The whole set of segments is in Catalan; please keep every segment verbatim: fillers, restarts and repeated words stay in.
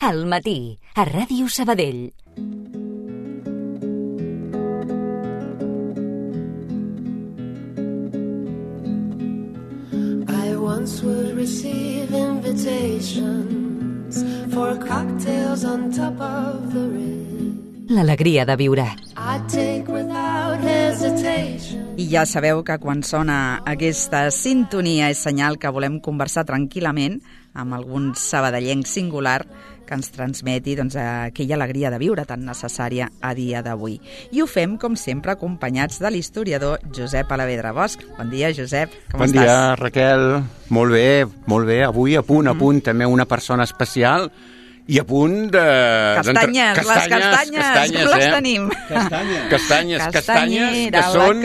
Al matí, a Ràdio Sabadell. I once would receive invitations for cocktails on top of the ridge. L'alegria de viure. I take without hesitation. I ja sabeu que quan sona aquesta sintonia és senyal que volem conversar tranquil·lament amb algun sabadellenc singular que ens transmeti doncs, aquella alegria de viure tan necessària a dia d'avui. I ho fem, com sempre, acompanyats de l'historiador Josep Alavedra Bosch. Bon dia, Josep, com bon estàs? Bon dia, Raquel. Molt bé, molt bé. Avui a punt, a punt, mm. també una persona especial i a punt de... Castanyes, les castanyes, castanyes com les eh? tenim? Castanyes. Castanyes, castanyes, que són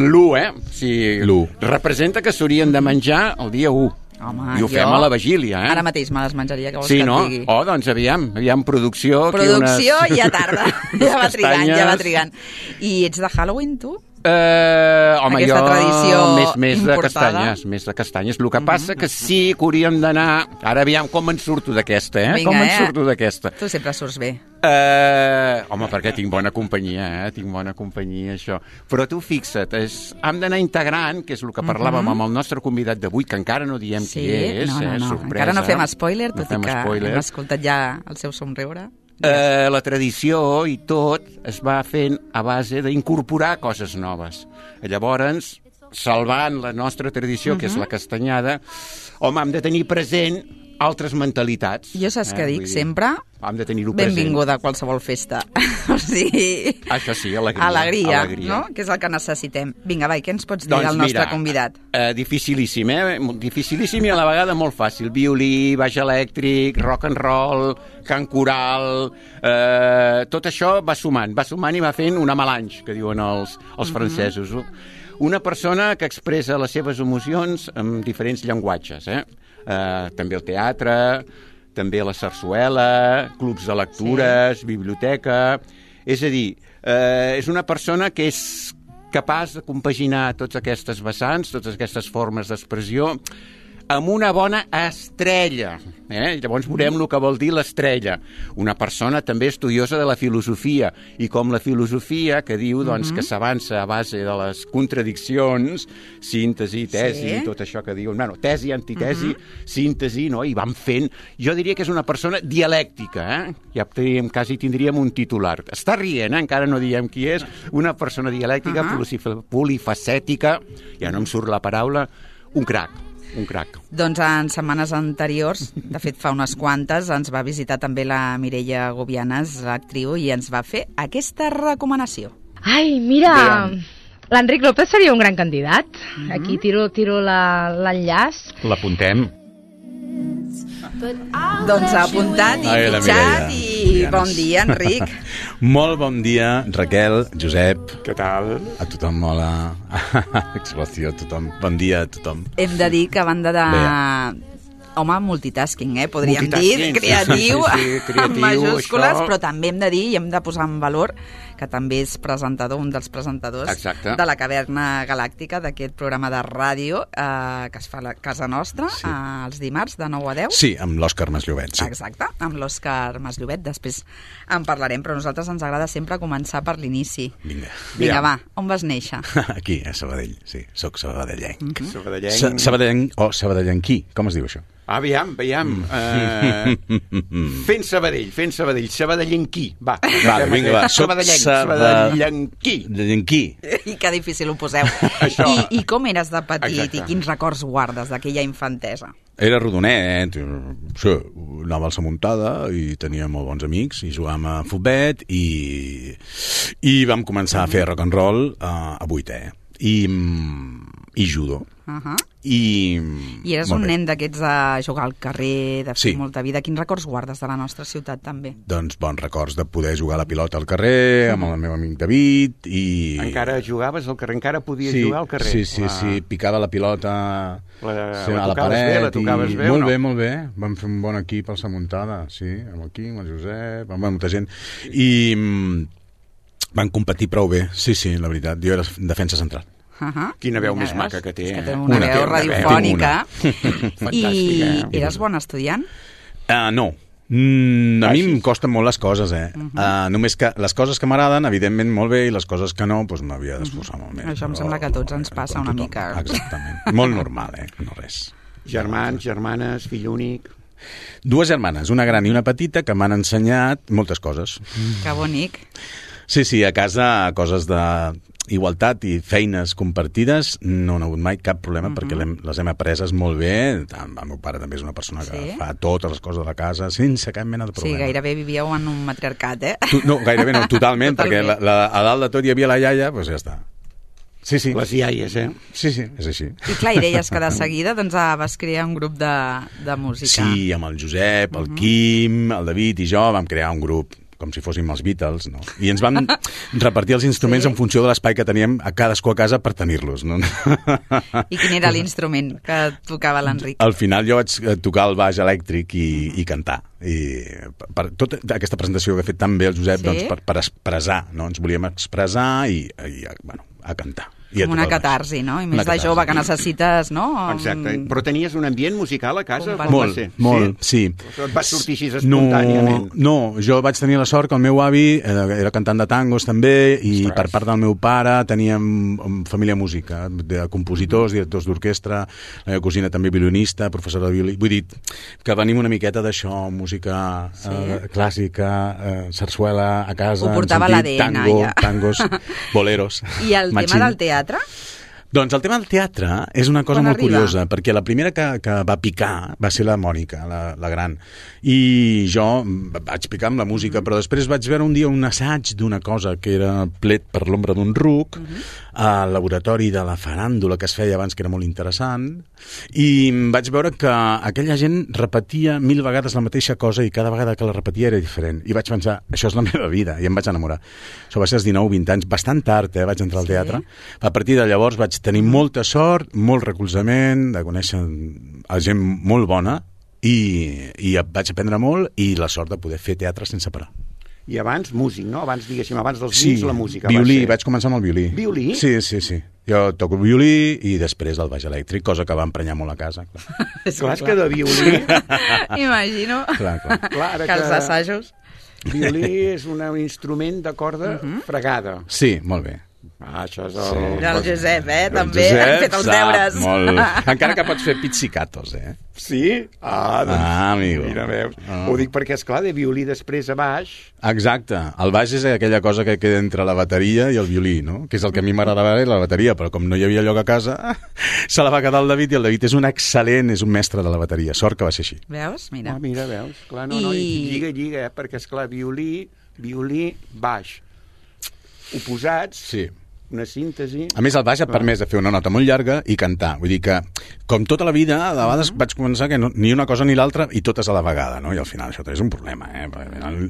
l'u, eh? O sigui, l'u. Representa que s'haurien de menjar el dia u. Home, i ho fem jo... a la vigília, eh? Ara mateix me les menjaria, que vols sí, que no? et digui. Oh, doncs aviam, aviam, producció... Producció unes... i a tarda. Ja va trigant, ja va trigant. I ets de Halloween, tu? Uh, home, Aquesta jo tradició més, més de importada. castanyes, més de castanyes. El que mm-hmm. passa que sí que hauríem d'anar... Ara aviam com en surto d'aquesta, eh? Vinga, com en eh? surto d'aquesta. Tu sempre surts bé. Uh, home, perquè tinc bona companyia, eh? Tinc bona companyia, això. Però tu fixa't, és, hem d'anar integrant, que és el que parlàvem mm-hmm. amb el nostre convidat d'avui, que encara no diem sí? qui és, no, no, eh? no. Sorpresa. Encara no fem spoiler, tot no i que spoiler. hem escoltat ja el seu somriure. Uh, la tradició i tot es va fent a base d'incorporar coses noves. Llavors, salvant la nostra tradició, uh-huh. que és la castanyada, home, hem de tenir present altres mentalitats. Jo saps eh? què dic sempre? Hem de tenir-ho present. Benvinguda a qualsevol festa. O sigui... Això sí, alegria. Alegria, alegria. no? Que és el que necessitem. Vinga, vai, què ens pots dir doncs del nostre mira, convidat? Eh, dificilíssim, eh? Dificilíssim i a la vegada molt fàcil. Violí, baix elèctric, rock and roll, cant coral... Eh, tot això va sumant, va sumant i va fent una melange, que diuen els, els uh-huh. francesos. Una persona que expressa les seves emocions en diferents llenguatges, eh? Eh, també el teatre, també la sarsuela, clubs de lectures, sí. biblioteca... És a dir, eh, és una persona que és capaç de compaginar totes aquestes vessants, totes aquestes formes d'expressió, amb una bona estrella. Eh? Llavors veurem el que vol dir l'estrella. Una persona també estudiosa de la filosofia, i com la filosofia que diu doncs, mm-hmm. que s'avança a base de les contradiccions, síntesi, tesi, sí. tot això que diuen, bueno, tesi, antitesi, mm-hmm. síntesi, no? I van fent... Jo diria que és una persona dialèctica, eh? Ja teníem, quasi tindríem un titular. Està rient, eh? Encara no diem qui és. Una persona dialèctica, uh-huh. polifacètica, ja no em surt la paraula, un crac. Un crac. Doncs en setmanes anteriors, de fet fa unes quantes, ens va visitar també la Mireia Gobianes, l'actriu, i ens va fer aquesta recomanació. Ai, mira, l'Enric López seria un gran candidat. Mm-hmm. Aquí tiro, tiro la, l'enllaç. L'apuntem. Doncs apuntat i Ai, fitxat i bon dia, Enric. Molt bon dia, Raquel, Josep. Què tal? A tothom, hola. Explosió a tothom. Bon dia a tothom. Hem de dir que a banda de... Bé. Home, multitasking, eh? Podríem dir, creatiu, sí, sí, sí, creatiu amb majúscules, això... però també hem de dir i hem de posar en valor que també és presentador, un dels presentadors Exacte. de la Caverna Galàctica, d'aquest programa de ràdio eh, que es fa a la casa nostra, sí. eh, els dimarts de nou a deu. Sí, amb l'Òscar Masllovet, sí. Exacte, amb l'Òscar Masllovet, després en parlarem, però a nosaltres ens agrada sempre començar per l'inici. Vinga. Vinga, va, on vas néixer? Aquí, a Sabadell, sí, soc sabadellenc. Mm-hmm. Sabadellenc. Sa- Sabadellenc o sabadellenquí, com es diu això? Aviam, aviam. Uh, fent Sabadell, fent Sabadell. Sabadellenquí, va. Vale, vinga, va. Soc Sabadellenc, Sabad- Sabadellenquí. Sabadellenquí. I que difícil ho poseu. Això. I, I com eres de petit Exacte. i quins records guardes d'aquella infantesa? Era rodonet, sí, anava a la muntada i tenia molt bons amics i jugàvem a futbet i, i vam començar a fer rock and roll a, a vuitè i, i judo. Uh-huh. I, I eres un nen d'aquests de jugar al carrer, de fer Sí. molta vida. Quins records guardes de la nostra ciutat, també? doncs bons records de poder jugar a la pilota al carrer amb el meu amic David i... Encara jugaves al carrer, encara podies sí, jugar al carrer. Sí, sí, la... sí, picava la pilota la, sí, la a la tocaves paret. bé, la tocaves i... bé o molt no? bé, molt bé. Vam fer un bon equip al Samuntada, sí, amb el Quim, el Josep, amb molta gent. I mm, van competir prou bé, sí, sí, la veritat. Jo era defensa central. Uh-huh. Quina veu Mira, més veus? maca que té. És que té una, Una, veu una radiofònica. veu. I Fantàstica, eh? eres bon estudiant? Uh, no. Mm, a mi em costen molt les coses, eh? Uh -huh. uh, només que les coses que m'agraden, evidentment, molt bé, i les coses que no, doncs m'havia d'esforçar molt més. Això em sembla que a tots ens passa una mica. Exactament. Molt normal, eh? No res. Germans, germanes, fill únic... Dues germanes, una gran i una petita, que m'han ensenyat moltes coses. Que bonic. Sí, sí, a casa coses de igualtat i feines compartides no n'ha hagut mai cap problema, uh-huh. perquè hem, les hem apreses molt bé. El meu pare també és una persona que sí? fa totes les coses de la casa sense cap mena de problema. Sí, gairebé vivíeu en un matriarcat, eh? Tu, no, gairebé no, totalment, perquè la, la, a dalt de tot hi havia la iaia, doncs ja està. Sí, sí. Les iaies, eh? Sí, sí, és així. I clar, i deies que de seguida doncs, vas crear un grup de, de música. Sí, amb el Josep, el uh-huh. Quim, el David i jo vam crear un grup com si fóssim els Beatles, no? I ens vam repartir els instruments sí. en funció de l'espai que teníem a cadascú a casa per tenir-los, no? I quin era l'instrument que tocava l'Enric? Al final jo vaig tocar el baix elèctric i, i cantar. I per, per tota aquesta presentació que ha fet tan bé el Josep, sí? doncs per, per expressar, no? Ens volíem expressar i, i bueno, a cantar. Com una catarsi, no? I més de jove que necessites, no? Exacte. Però tenies un ambient musical a casa? Com molt, va ser? molt, sí. sí. Et vas sortir així espontàniament? No, no, jo vaig tenir la sort que el meu avi era cantant de tangos també i Ostres. per part del meu pare teníem família música, de compositors, directors d'orquestra, la meva cosina també violinista, professora de violí. Vull dir que venim una miqueta d'això, música sí. eh, clàssica, eh, sarsuela a casa, ho portava l'A D N, tango, ja. tangos, boleros. I el machín. Tema del teatre? Doncs el tema del teatre és una cosa Quan molt arriba? curiosa, perquè la primera que, que va picar va ser la Mònica, la, la gran. I jo vaig picar amb la música, però després vaig veure un dia un assaig d'una cosa que era Plet per l'ombra d'un ruc, uh-huh. al laboratori de la faràndula que es feia abans, que era molt interessant, i vaig veure que aquella gent repetia mil vegades la mateixa cosa i cada vegada que la repetia era diferent. I vaig pensar, això és la meva vida, i em vaig enamorar. Això va ser als dinou vint anys, bastant tard, eh, vaig entrar al teatre. Sí. A partir de llavors vaig tenir molta sort, molt recolzament, de conèixer a gent molt bona, i, i vaig aprendre molt, i la sort de poder fer teatre sense parar. I abans músic, no? Abans, diguéssim, abans dels sí, vins, la música. Violí, va ser... vaig començar amb el violí. Violí? Sí, sí, sí. Jo toco violí i després el baix elèctric, cosa que va emprenyar molt a casa. Clar, és clar, que de violí... Imagino clar, clar. clar, que els assajos... Violí és un instrument de corda uh-huh. fregada. Sí, molt bé. Ah, això és el... Sí. El Josep, eh? El També Josep ha fet els deures. Molt. Encara que pots fer pizzicatos, eh? Sí? Ah, doncs... Ah, amigo. Mira, veus. Ah. Ho dic perquè, esclar, de violí després a baix... Exacte. El baix és aquella cosa que queda entre la bateria i el violí, no? Que és el que a mi m'agradava la bateria, però com no hi havia lloc a casa, se la va quedar el David, i el David és un excel·lent, és un mestre de la bateria. Sort que va ser així. Veus? Mira. Ah, mira, veus. Clar, no, I... no, i lliga, lliga, eh? Perquè, esclar, violí, violí, baix. Oposats... Sí. Una síntesi... A més, el baix et permès de fer una nota molt llarga i cantar. Vull dir que, com tota la vida, a vegades uh-huh. vaig començar que no, ni una cosa ni l'altra i totes a la vegada, no? I al final això és un problema, eh? El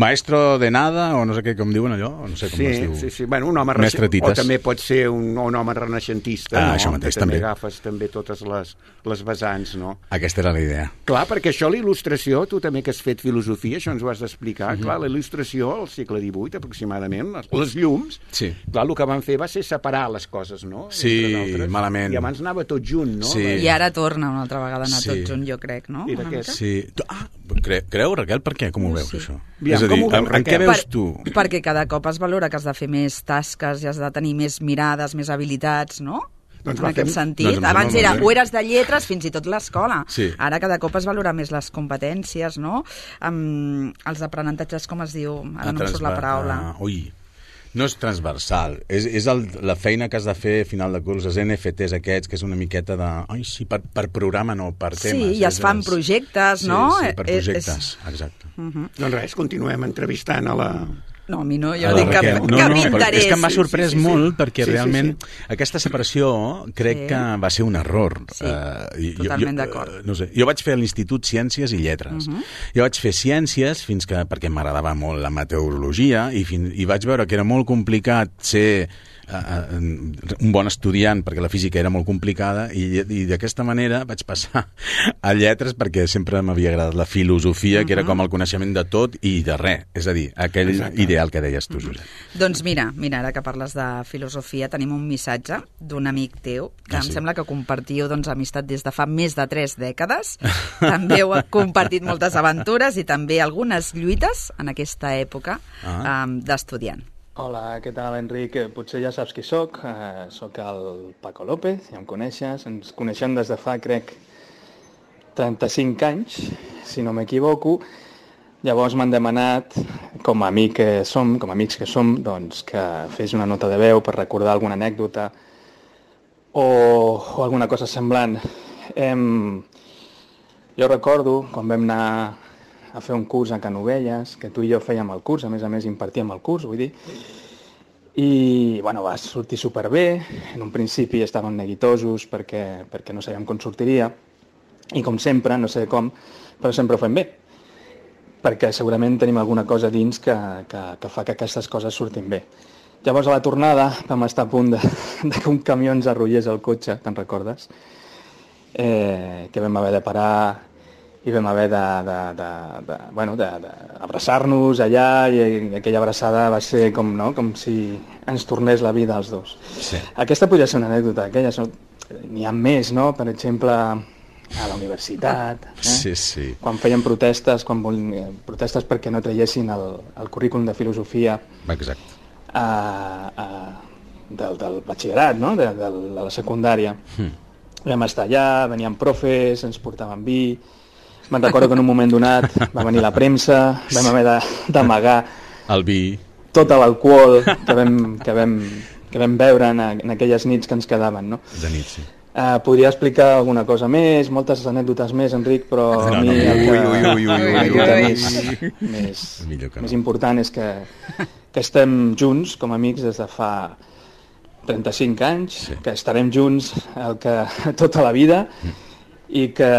maestro de nada, o no sé què, com diuen allò, o no sé com sí, es diu. Sí, sí, bueno, un home renaixentista. O també pot ser un, un home renaixentista, ah, no? Això mateix, que també. també agafes també totes les, les vessants, no? Aquesta era la idea. Clar, perquè això, la il·lustració, tu també que has fet filosofia, això ens ho has d'explicar, uh-huh. clar, la il·lustració, al segle divuit aproximadament, les, les llums, sí. clar, el que van fer va ser separar les coses, no? Sí, malament. I abans anava tot junt, no? Sí. I ara torna una altra vegada a anar sí. tot junt, jo crec, no? Sí. Ah, cre creu, Raquel, per què? Com ho veus, sí. això? Aviam, és a dir, veus, en, en què veus per, tu? Perquè cada cop es valora que has de fer més tasques i has de tenir més mirades, més habilitats, no? Doncs en aquest fem... sentit. Doncs abans era, o eres de lletres, fins i tot l'escola. Sí. Ara cada cop es valora més les competències, no? Um, els aprenentatges, com es diu? Ara no em surt la paraula. Uh, ui, no és transversal, és, és el, la feina que has de fer a final de curs, els N F Ts aquests, que és una miqueta de... Ai, sí, per, per programa, no, per temes. Sí, i es fan és, projectes, sí, no? Sí, per projectes, és... exacte. Uh-huh. Doncs res, continuem entrevistant a la... No, a mi no, jo a dic que, no, que no, m'interessa. És que m'ha sorprès sí, sí, sí. molt, perquè sí, realment sí, sí. aquesta separació crec sí. que va ser un error. Sí, uh, totalment d'acord. No sé, jo vaig fer a l'Institut Ciències i Lletres. Uh-huh. Jo vaig fer Ciències fins que, perquè m'agradava molt la meteorologia, i, fin, i vaig veure que era molt complicat ser uh, un bon estudiant, perquè la física era molt complicada, i, i d'aquesta manera vaig passar a lletres, perquè sempre m'havia agradat la filosofia, uh-huh. que era com el coneixement de tot i de res. És a dir, aquell Exacte. ideal que deies tu, Josep. Uh-huh. Doncs mira, mira, ara que parles de filosofia, tenim un missatge d'un amic teu, que ah, em sí? sembla que compartiu doncs, amistat des de fa més de tres dècades. També heu compartit moltes aventures i també algunes lluites en aquesta època ah. um, d'estudiant. Hola, què tal, Enric? Potser ja saps qui sóc. Uh, soc el Paco López, ja em coneixes. Ens coneixem des de fa, crec, trenta-cinc anys, si no m'equivoco. Llavors m'han demanat, com a amic que som, com a amics que som, doncs, que fes una nota de veu per recordar alguna anècdota o, o alguna cosa semblant. Em... Jo recordo quan vam anar a fer un curs a Canovelles, que tu i jo fèiem el curs, a més a més impartíem el curs, vull dir, i bueno, va sortir superbé. En un principi estàvem neguitosos perquè, perquè no sabíem com sortiria, i com sempre, no sé com, però sempre ho fem bé, perquè segurament tenim alguna cosa dins que, que, que fa que aquestes coses surtin bé. Llavors, a la tornada, vam estar a punt de, de que un camió ens arrollés el cotxe, te'n recordes? Eh, que vam haver de parar i vam haver de, de, de, de, bueno, de, de abraçar-nos allà, i aquella abraçada va ser com, no? com si ens tornés la vida als dos. Sí. Aquesta podria ser una anècdota, aquella, n'hi ha més, no? Per exemple, a la universitat, eh? sí, sí. quan feien protestes, quan vol... protestes perquè no traiessin el, el currículum de filosofia Exacte. A, a, del, del batxillerat, no? de, de, de la secundària. Hmm. Vam estar allà, venien profes, ens portaven vi. Me'n recordo que en un moment donat va venir la premsa, vam haver d'amagar el vi, tot l'alcohol que vam, que vam, que vam beure en, en aquelles nits que ens quedaven, no? De nit, sí. Uh, podria explicar alguna cosa més, moltes anècdotes més, Enric, però no, a mi no, el que, ui, ui, ui, l'anècdota més, més, no. més important és que, que estem junts com a amics des de fa trenta-cinc anys, sí. que estarem junts el que, tota la vida, mm. i que,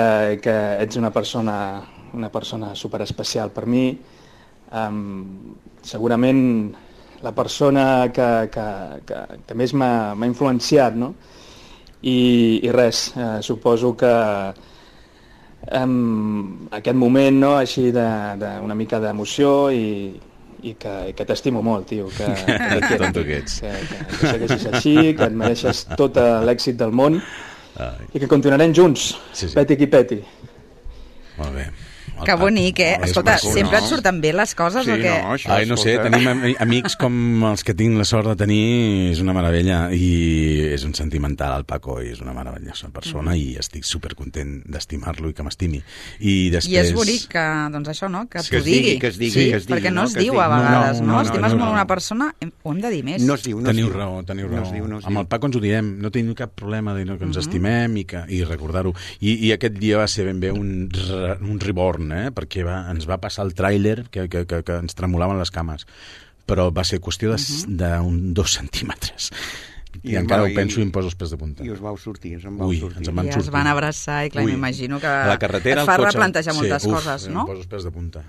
que ets una persona, una persona superespecial per mi. Um, segurament la persona que, que, que, que més m'ha influenciat, no? I, i res, eh, suposo que um, aquest moment, no? Així d'una mica d'emoció i, i que, que t'estimo molt, tio, que, que, que, que, que, que segueixis així, que et mereixes tot l'èxit del món. Ai. I que continuarem junts, sí, sí. peti qui peti. Molt bé. Que bonic, eh? Escolta, maco, sempre no? et surten bé les coses sí, o què? No, això, Ai, no sé, tenim amics com els que tinc la sort de tenir, és una meravella, i és un sentimental, el Paco, i és una meravellosa persona, mm. i estic supercontent d'estimar-lo i que m'estimi. I després... I és bonic que, doncs això, no?, que, que t'ho digui. Que es digui, sí, que es digui. Perquè no, no es diu digui. a vegades, no? no, no, no Estimes no, no, molt una persona, ho hem de dir més. No es diu, no teniu es diu. raó, teniu raó. No es diu, no es Amb diu. el Paco ens ho diem, no tenim cap problema de que ens uh-huh. estimem i, que, i recordar-ho. I, I aquest dia va ser ben bé un, un reborn, eh? Perquè va, ens va passar el tràiler que, que, que, que ens tremolaven les cames, però va ser qüestió d'un uh-huh. dos centímetres. I, I encara ho penso i em poso els pes de punta. I us vau sortir, ens en vau Ui, sortir. ens en van I sortir. es van abraçar i clar, m'imagino que la carretera, et fa cotxe... replantejar moltes sí, uf, coses, no? Em poso els pes de punta.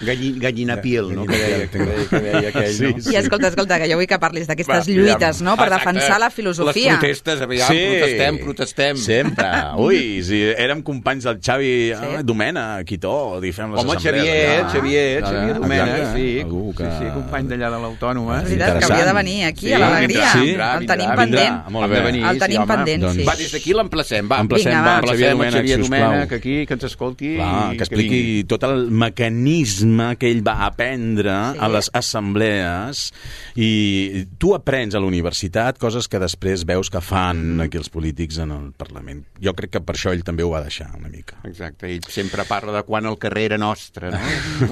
Galli, gallina piel, no? Que deia, que deia, que deia aquell, sí, no? I escolta, escolta, que jo vull que parlis d'aquestes lluites, no?, per Exacte. defensar la filosofia. Les protestes, aviam, sí. protestem, protestem. Sempre. Ui, si érem companys del Xavi sí. eh, Domena, Quitó, i fem les Home, assemblees. Xavier, allà. Xavier, Ah, Xavier Domena, exacte. sí. Que... Sí, sí, company d'allà de l'Autònoma. És veritat, que havia de venir aquí, sí, a l'Alegria. Sí, el tenim vindrà, pendent. molt bé. Venir, el tenim sí, pendent, doncs... sí. Va, des d'aquí l'emplacem, va. Emplacem, Vinga, va, va. Xavier Emplacem Domènech, Xavier sisplau. Domènech aquí, que ens escolti. Clar, i que expliqui vingui. tot el mecanisme que ell va aprendre sí. a les assemblees, i tu aprens a la universitat coses que després veus que fan aquí els polítics en el Parlament. Jo crec que per això ell també ho va deixar una mica. Exacte, ell sempre parla de quan el carrer era nostre, no?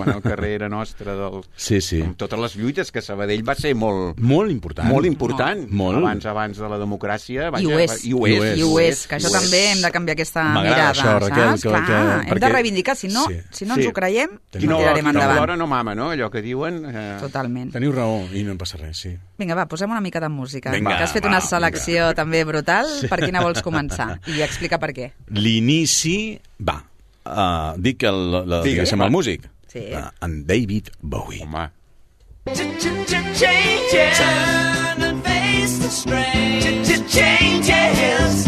Quan el carrer era nostre, del... Sí, sí. amb totes les lluites, que Sabadell va ser molt... Molt important. Molt important. Molt. Abans, abans de la democràcia. Vaja, I ho és. I ho és. I ho és, que això I ho també és. hem de canviar aquesta M'agrada mirada, això, Raquel, saps? que- Clar, que- hem perquè- de reivindicar, si no, Sí. si no Sí. ens ho creiem, Qui no no, tirarem qui no endavant. plora no mama, no? Allò que diuen... Eh... Totalment. Teniu raó, i no em passa res, sí. Vinga, va, posem una mica de música. Vinga, que has fet va, una selecció vinga. també brutal. Sí. Per quina vols començar? I explica per què. L'inici, va, uh, dic el, la, la, Digue, diguéssim, va. el músic. Sí. Uh, en David Bowie. Home. Change, turn and face the strain. Changes.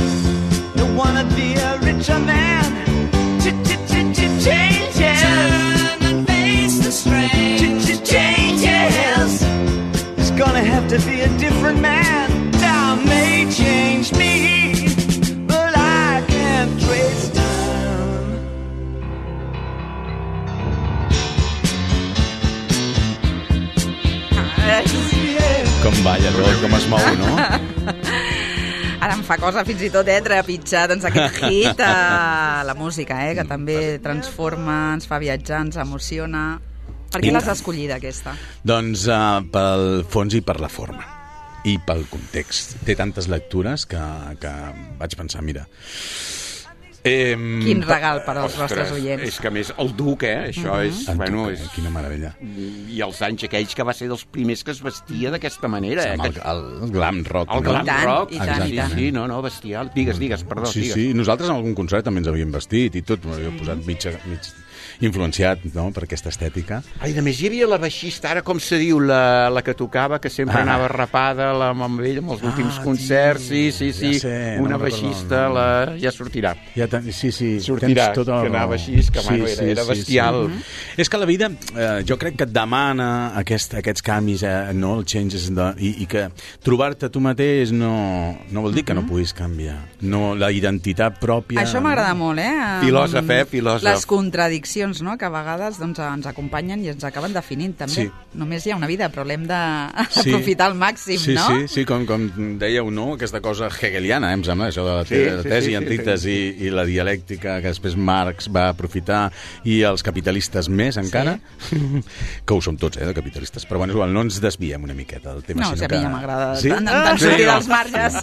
Don't wanna be a richer man. Changes. Turn and face the strain. Changes. It's gonna have to be a different man. Time may change me, but I can't trace time. Com balla tot, com es mou, no? Ara em fa cosa fins i tot, eh, trepitjar doncs, aquest hit a la música, eh, que també transforma, ens fa viatjar, ens emociona. Per què l'has escollida, aquesta? Doncs uh, pel fons i per la forma. I pel context. Té tantes lectures que, que vaig pensar, mira... Eh, Quin regal per als Ostres, nostres oients. És que a més el duc, eh? Això uh -huh. és... En Bueno, Duc, és... Quina meravella. I els anys aquells que va ser dels primers que es vestia d'aquesta manera, eh? El, el, el glam rock. El no? glam I tant, rock. i tant, sí, i tant. sí, no, no, bestial. Digues, digues, perdó, Sí, digues. sí, nosaltres en algun concert també ens havíem vestit i tot, m'havíem posat mig, mig influenciat, no?, per aquesta estètica. Ai, a més, hi havia la baixista, ara com se diu, la, la que tocava, que sempre Ah. anava rapada, la amb ell, amb els últims concerts, sí, sí, sí, ja sé, no una me'n recordo baixista, el nom. la... ja sortirà. Ja ten... Sí, sí, Sortirà, tens tota la que raó. anava així, que, bueno, era- era bestial. Sí. És que la vida, eh, jo crec que et demana aquest, aquests canvis, eh, no, el changes, de, i, i que trobar-te tu mateix no, no vol dir que no puguis canviar. No, la identitat pròpia... Això m'agrada molt, eh? Amb Filòsof, eh? Filòsof. Les contradiccions, no?, que a vegades doncs, ens acompanyen i ens acaben definint, també. Sí. Només hi ha una vida, però l'hem Sí. d'aprofitar al màxim, sí, no? Sí, sí, com, com dèieu, no?, aquesta cosa hegeliana, eh, em sembla, això de la, Sí, te la sí, tesi, sí, antítesi sí, i la dialèctica que després Marx va aprofitar i els capitalistes més encara, que ho som tots, eh, de capitalistes, però bueno, és igual, no ens desviem una miqueta del tema. No, sinó si a que... mi ja m'agrada Sí? tant, tant Sí, sortir no. dels marges.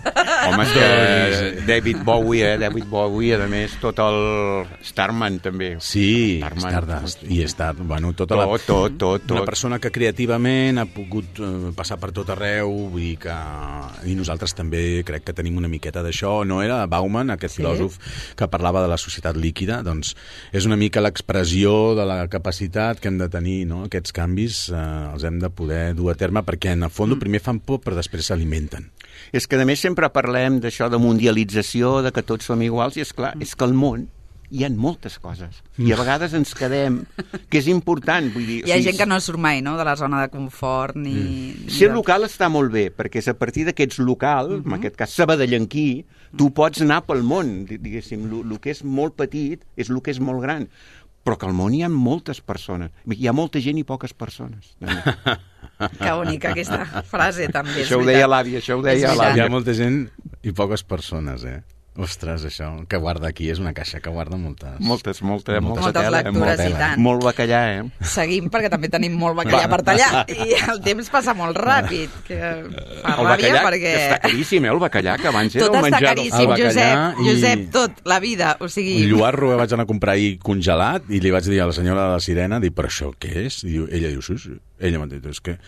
Home, és que David Bowie, eh? David Bowie, a més, tot el Starman, també. Sí, Starman. Stardust i Star, bueno, tota la... Tot, tot, tot, tot. Una persona que creativament ha pogut eh, passar per tot arreu, vull dir que... I nosaltres també crec que tenim una miqueta d'això. No era Bauman, aquest Sí. filòsof que parlava de la societat líquida? Doncs és una mica l'expressió de la capacitat que hem de tenir, no? Aquests canvis eh, els hem de poder dur a terme perquè en el fons primer fan por però després s'alimenten. És que, a més, sempre parlem d'això de mundialització, de que tots som iguals, i és clar, és que al món hi ha moltes coses. I a vegades ens quedem, que és important. Vull dir, Hi ha gent que no surt mai, no?, de la zona de confort, ni... ni Ser de- local està molt bé, perquè és a partir d'aquests local, en aquest cas sabadellenquí, tu pots anar pel món, di- diguéssim, el que és molt petit és el que és molt gran, però que al món hi ha moltes persones. Hi ha molta gent i poques persones. Que bonica aquesta frase, també. és Això ho veritat. deia l'àvia, això ho És deia veritat. Hi l'àvia. ha molta gent i poques persones, eh? Ostres, això que guarda aquí és una caixa que guarda moltes... Moltes, molta, molta Moltes tela, lectures, molta i tela. tant. Molt bacallà, eh? Seguim, perquè també tenim molt bacallà per tallar, i el temps passa molt ràpid, que fa El ràbia, bacallà, perquè... que està caríssim, eh, el bacallà, que abans era Tot un està menjar... caríssim, El bacallà Josep, i- Josep, tot, la vida, o sigui... Un lloarro vaig anar a comprar ahir congelat i li vaig dir a la senyora de la sirena, dic, però això què és? I diu, ella diu, sí, sí. Ella m'ha dit, és que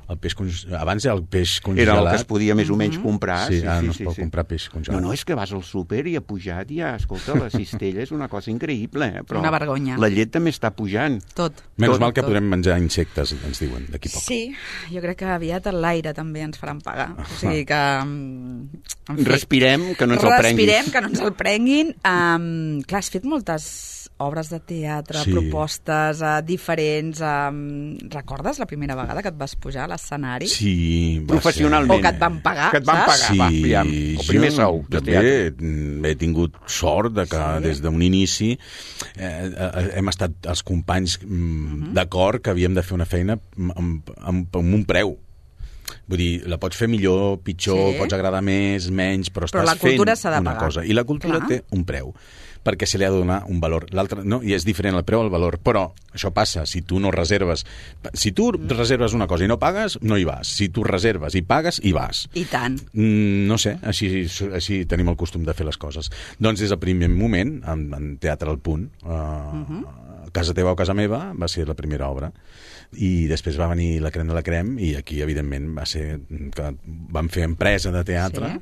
el peix congelat... Abans el peix congelat... Era el que es podia més o menys comprar. Sí, ara no es pot comprar peix congelat. No, no, és que vas al súper i ha pujat ja, escolta, la cistella és una cosa increïble, eh? Però Una vergonya. la llet també està pujant. Tot. Menys tot, mal que tot. podrem menjar insectes, ens diuen, d'aquí a poc. Sí, jo crec que aviat l'aire també ens faran pagar. O sigui que... mm, en fi, Respirem, que no ens el prenguin. Respirem, que no ens el prenguin. Um, clar, has fet moltes obres de teatre, Sí. propostes uh, diferents. Um, recordes la primera vegada que et vas pujar a l'escenari? Sí, va Professionalment. O que et van pagar, Que et van saps? pagar, va, Sí, aviam, el primer jo sou de també teatre. mm, he tingut sort de que Sí. des d'un inici eh, eh, hem estat els companys mm, Mhm. d'acord que havíem de fer una feina amb, amb, amb, amb un preu. Vull dir, la pots fer millor, pitjor, Sí. pots agradar més, menys, però Però estàs la cultura fent s'ha de una pagar. cosa. I la cultura Clar. té un preu, perquè se li ha de donar un valor. L'altre, no? I és diferent el preu al valor. Però això passa, si tu no reserves... Si tu reserves una cosa i no pagues, no hi vas. Si tu reserves i pagues, hi vas. I tant. Mm, no sé, així, així tenim el costum de fer les coses. Doncs des del primer moment, en, en Teatre al Punt, uh, uh -huh. Casa teva o casa meva, va ser la primera obra. I després va venir la Crem de la Crem i aquí, evidentment, va ser que vam fer empresa de teatre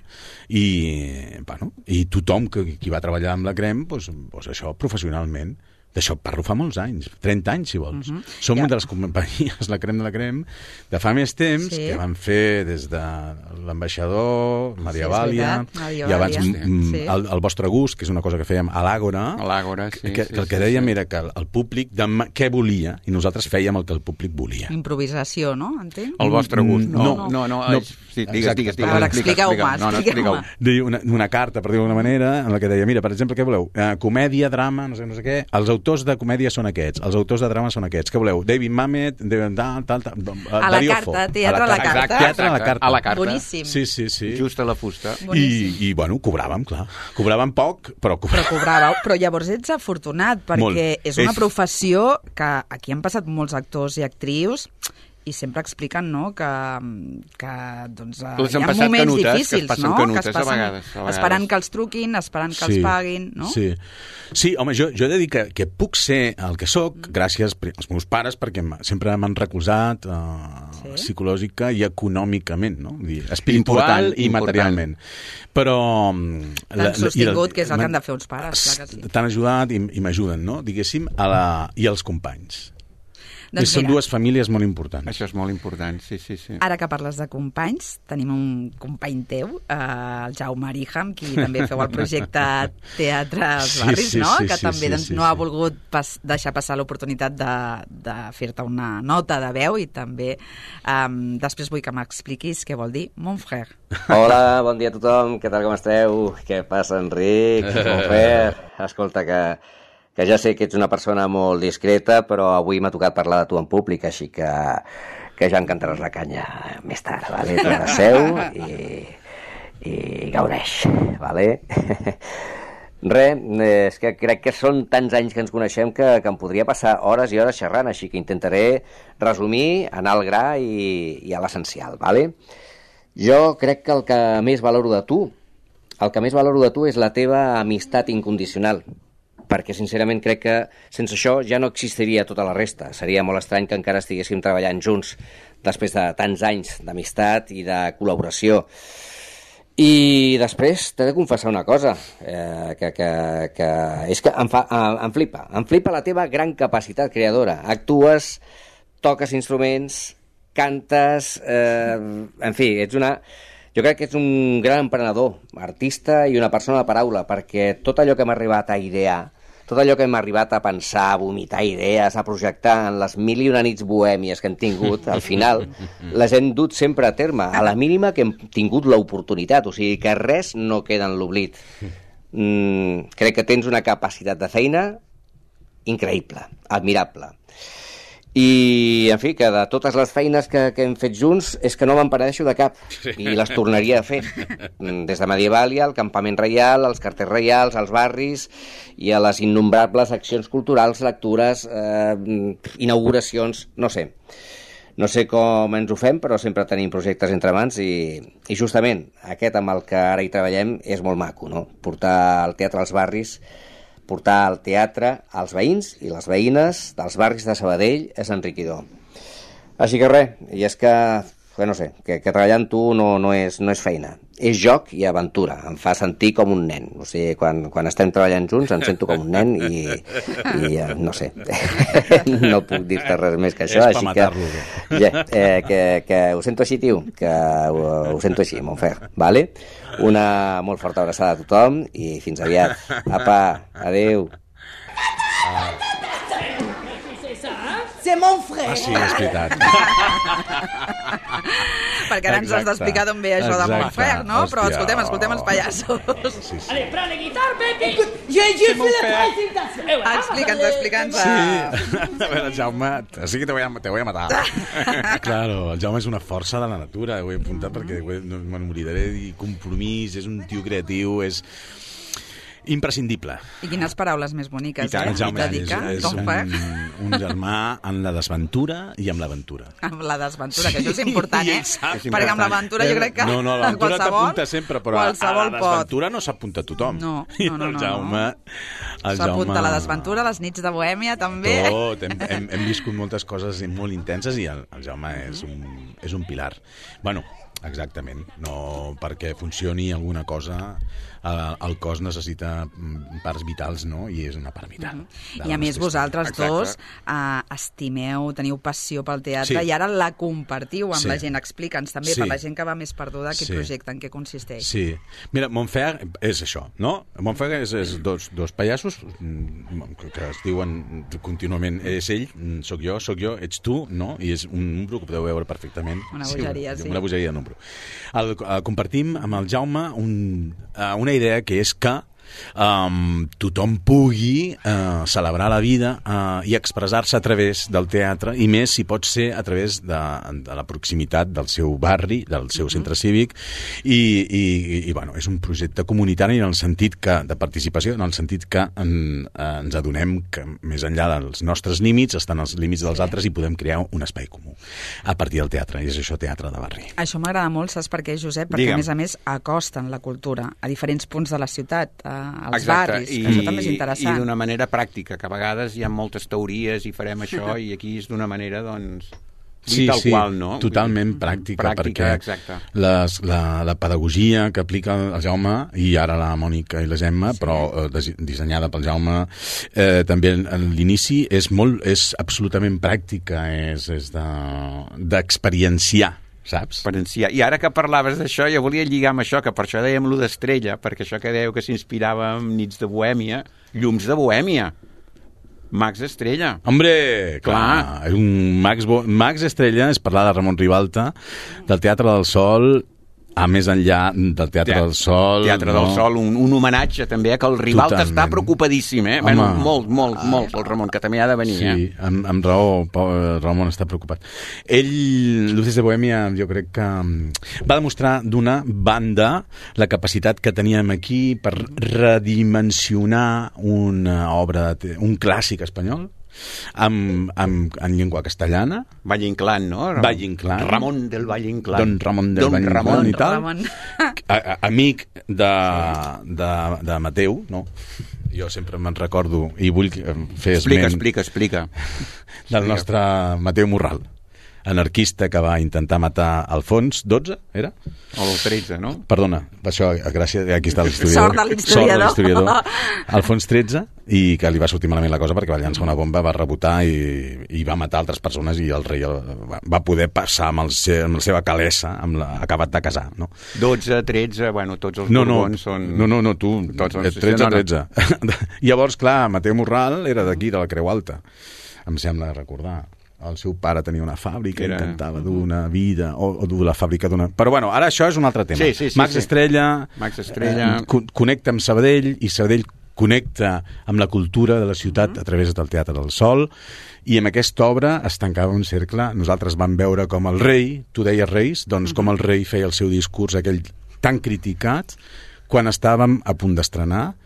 Sí. i, bueno, i tothom que, qui va treballar amb la Crem, doncs, doncs això, professionalment. D'això parlo fa molts anys, trenta anys, si vols. Uh -huh. Som Ja. una de les companyies, la crem de la crem, de fa més temps, Sí. que van fer des de l'ambaixador, Maria Sí, és Vàlia, veritat, Maria i abans Vàlia. mm, Sí. el, el vostre gust, que és una cosa que fèiem a l'Àgora, A l'Àgora, sí. que, sí, que el que sí, dèiem sí. era que el, el públic demà, què volia, i nosaltres fèiem el que el públic volia. Improvisació, no? Entenc? El vostre gust. No, No, no, no. no, no. és- sí, digues, Exacte. digues, digues. A veure, explica, expliqueu-me, explica. No, no, expliqueu-me. expliqueu. Deia una, una carta, per dir-ho d'alguna manera, en la que deia, mira, per exemple, què voleu? Eh, comèdia, drama, no sé, no sé què. Els autors de comèdia són aquests, els autors de drama són aquests. Què voleu? David Mamet, David, tal, tal, tal, A la Darío carta, Fo. teatre a la carta. Exacte, teatre a la carta. A la carta. Boníssim. Sí, sí, sí. Just a la fusta. I, I, bueno, cobràvem, clar. Cobràvem poc, però Però cobràvem. cobràveu, però llavors ets afortunat, perquè Molt. és una És- professió que aquí han passat molts actors i actrius i sempre expliquen, no?, que, que doncs, eh, Les hi han ha passat moments canutes, que es difícils, passen no?, canutes, que es a passen vegades, a vegades. esperant que els truquin, esperant que els paguin, no? Sí, sí home, jo, jo he de dir que, que puc ser el que sóc mm. gràcies als meus pares, perquè m- sempre m'han recolzat uh, Sí. psicològica i econòmicament, no? Vull dir, espiritual Important, i important. materialment. Però... mm, T'han sostingut, que és el que m'han- han de fer uns pares, clar que sí. T'han ajudat i, i m'ajuden, no? Diguéssim, a la, i als companys. Doncs Són mira, dues famílies molt importants. Això és molt important, sí, sí, sí. ara que parles de companys, tenim un company teu, eh, el Jaume Arija, amb qui també feu el projecte Teatre als Sí, Barris, sí, no? sí, que sí, també sí, doncs, sí, no ha sí. volgut pas, deixar passar l'oportunitat de, de fer-te una nota de veu i també um, després vull que m'expliquis què vol dir mon frère. Hola, bon dia a tothom, què tal, com esteu? Què passa, Enric? Mon frère? Escolta, que, que ja sé que ets una persona molt discreta, però avui m'ha tocat parlar de tu en públic, així que, que ja em cantaràs la canya més tard, vale? Tu ara seu i, i gaudeix, vale? Res, és que crec que són tants anys que ens coneixem que, que em podria passar hores i hores xerrant, així que intentaré resumir, anar al gra i, i a l'essencial, vale? Jo crec que el que més valoro de tu, el que més valoro de tu és la teva amistat incondicional, perquè sincerament crec que sense això ja no existiria tota la resta. Seria molt estrany que encara estiguéssim treballant junts després de tants anys d'amistat i de col·laboració. I després t'he de confessar una cosa, eh, que, que, que és que em, fa, em, em flipa. Em flipa la teva gran capacitat creadora. Actues, toques instruments, cantes, eh, en fi, ets una... Jo crec que ets un gran emprenedor, artista i una persona de paraula, perquè tot allò que m'ha arribat a idear, tot allò que hem arribat a pensar, a vomitar idees, a projectar en les mil i una nits bohèmies que hem tingut, al final les hem dut sempre a terme, a la mínima que hem tingut l'oportunitat, o sigui que res no queda en l'oblit. Mm, crec que tens una capacitat de feina increïble, admirable. I, en fi, que de totes les feines que, que hem fet junts és que no me'n penedeixo de cap i les tornaria a fer. Des de Medievalia, al Campament Reial, als carters reials, als barris i a les innombrables accions culturals, lectures, eh, inauguracions, no sé. No sé com ens ho fem, però sempre tenim projectes entre mans i, i justament aquest amb el que ara hi treballem és molt maco, no? Portar el teatre als barris, portar el teatre als veïns i les veïnes dels barris de Sabadell és enriquidor. Així que res, i és que, que no sé, que, que treballar amb tu no, no, és, no és feina, és joc i aventura, em fa sentir com un nen, o sigui, quan, quan estem treballant junts em sento com un nen i, i eh, no sé, no puc dir-te res més que això, És així per que, matar-lo. ja, eh, que, que ho sento així, tio, que ho, ho sento així, mon frère, vale? Una molt forta abraçada a tothom i fins aviat. Apa, adeu. C'est mon frère. Ah, sí, és veritat. Perquè ara ens has Exacte. d'explicar d'on ve això de mon Exacte. frère, no? Però Hòstia. escoltem, escoltem els pallassos. Sí, sí. Allez, prends la guitare, baby. Écoute, j'ai j'ai fait la présentation. Eh, voilà. Explica'ns, explica'ns. Sí. A veure, Jaume, sí que te voy a, te voy a matar. Claro, el Jaume és una força de la natura, ho he apuntat perquè ho he- no me'n moriré, i compromís, és un tio creatiu, és imprescindible. I quines paraules més boniques, I tant, eh? el Jaume és, Dedica, és ton un, frère, un germà en la desventura i amb l'aventura. amb la desventura, que això és important, I eh? ell sap. És Perquè amb l'aventura jo crec que No, no, l'aventura qualsevol, t'apunta sempre, però a qualsevol la pot. desventura no s'apunta tothom. No, I no, no, el no, Jaume... el S'apunta Jaume- a la desventura, les nits de Bohèmia, també. Tot, hem, hem, hem viscut moltes coses molt intenses i el, el Jaume és un, és un pilar. Bueno, Exactament. No, perquè funcioni alguna cosa, el, el cos necessita parts vitals, no? I és una part vital. Mm-hmm. I a més vosaltres Exacte. dos uh, estimeu, teniu passió pel teatre sí. i ara la compartiu amb sí. la gent. Explica'ns també, sí. per la gent que va més perduda, aquest sí. projecte, en què consisteix. Sí. Mira, Montfer és això, no? Montfer és, és dos, dos pallassos que es diuen contínuament és ell, sóc jo, sóc jo, ets tu, no? I és un número que podeu veure perfectament. Una bogeria, sí. sí. Una bogeria de número. El, el, compartim amb el Jaume un, uh, una idea que és que um, tothom pugui uh, celebrar la vida uh, i expressar-se a través del teatre, i més si pot ser a través de, de la proximitat del seu barri, del seu uh-huh. centre cívic, i, i, i bueno, és un projecte comunitari en el sentit que, de participació, en el sentit que en, ens adonem que més enllà dels nostres límits estan els límits dels altres i podem crear un espai comú a partir del teatre, i és això, teatre de barri. Això m'agrada molt, saps per què, Josep? Perquè Digue'm. a més a més acosten la cultura a diferents punts de la ciutat, als Exacte. barris, I, que això també és interessant. I d'una manera pràctica, que a vegades hi ha moltes teories i farem això, i aquí és d'una manera, doncs, sí, tal sí, qual, no? Totalment pràctica, pràctica perquè les, la, la pedagogia que aplica el Jaume, i ara la Mònica i la Gemma, sí. però eh, des, dissenyada pel Jaume, eh, també en l'inici és, molt, és absolutament pràctica, és, és d'experienciar, de, saps? Experienciar. I ara que parlaves d'això, jo volia lligar amb això, que per això dèiem lo d'Estrella, perquè això que dèieu que s'inspirava en Nits de Bohèmia, Llums de Bohèmia. Max Estrella. Hombre, clar, clar. Un Max, Bo... Max Estrella és parlar de Ramon Ribalta, del Teatre del Sol, a més enllà del Teatre Teat... del Sol. Teatre no? del Sol, un, un homenatge també, que el Ribalta Totalment. està preocupadíssim, eh? Bueno, molt, molt, molt, el Ramon, que també ha de venir, sí, eh? Sí, amb, amb raó, Ramon està preocupat. Ell, Luces de Bohèmia, jo crec que va demostrar d'una banda la capacitat que teníem aquí per redimensionar una obra, de te... un clàssic espanyol, amb, amb, en llengua castellana. Valle Inclán, no? Ramon, Valle Inclán. Ramon del Valle Inclán. Don Ramon del Don Valle Ramon. Inclán i tal. Ramon. A, a, amic de, de, de Mateu, no? Jo sempre me'n recordo i vull fer explica, esment... Explica, explica, explica. Del nostre Mateu Morral, anarquista que va intentar matar Alfons dotze, era? O el tretze, no? Perdona, això, gràcies, aquí està l'historiador. Sort de l'historiador. Sort de l'historiador. Alfons tretze, i que li va sortir malament la cosa perquè va llançar una bomba, va rebotar i, i va matar altres persones, i el rei el, va poder passar amb, el se, amb la seva calessa, amb la, acabat de casar, no? dotze, tretze, bueno, tots els no, borbons no, són... No, no, no, tu, tots són... tretze, tretze. Llavors, clar, Mateu Morral era d'aquí, de la Creu Alta, em sembla recordar. El seu pare tenia una fàbrica, era... intentava dur una vida, o, o dur la fàbrica d'una... Però bueno, ara això és un altre tema. Sí, sí, sí, Max sí. Estrella, Max Estrella... Eh, connecta amb Sabadell, i Sabadell connecta amb la cultura de la ciutat Mm-hmm. a través del Teatre del Sol, i amb aquesta obra es tancava un cercle. Nosaltres vam veure com el rei, tu deies Reis, doncs com el rei feia el seu discurs aquell tan criticat, quan estàvem a punt d'estrenar,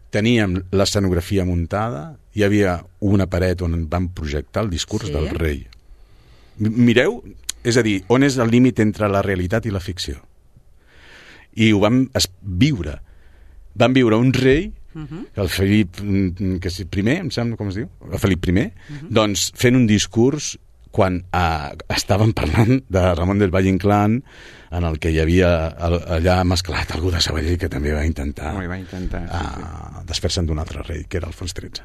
teníem l'escenografia muntada, hi havia una paret on vam projectar el discurs sí. del rei. Mireu, és a dir, on és el límit entre la realitat i la ficció? I ho vam viure. Vam viure un rei, uh-huh. el Felip que és primer, em sembla com es diu, el Felip primer, uh-huh. doncs fent un discurs quan eh, estàvem parlant de Ramon del Valle Inclán, en el que hi havia allà mesclat algú de Sabadell que també va intentar, oh, va intentar sí, sí. Uh, desfer-se'n d'un altre rei, que era Alfons tretze.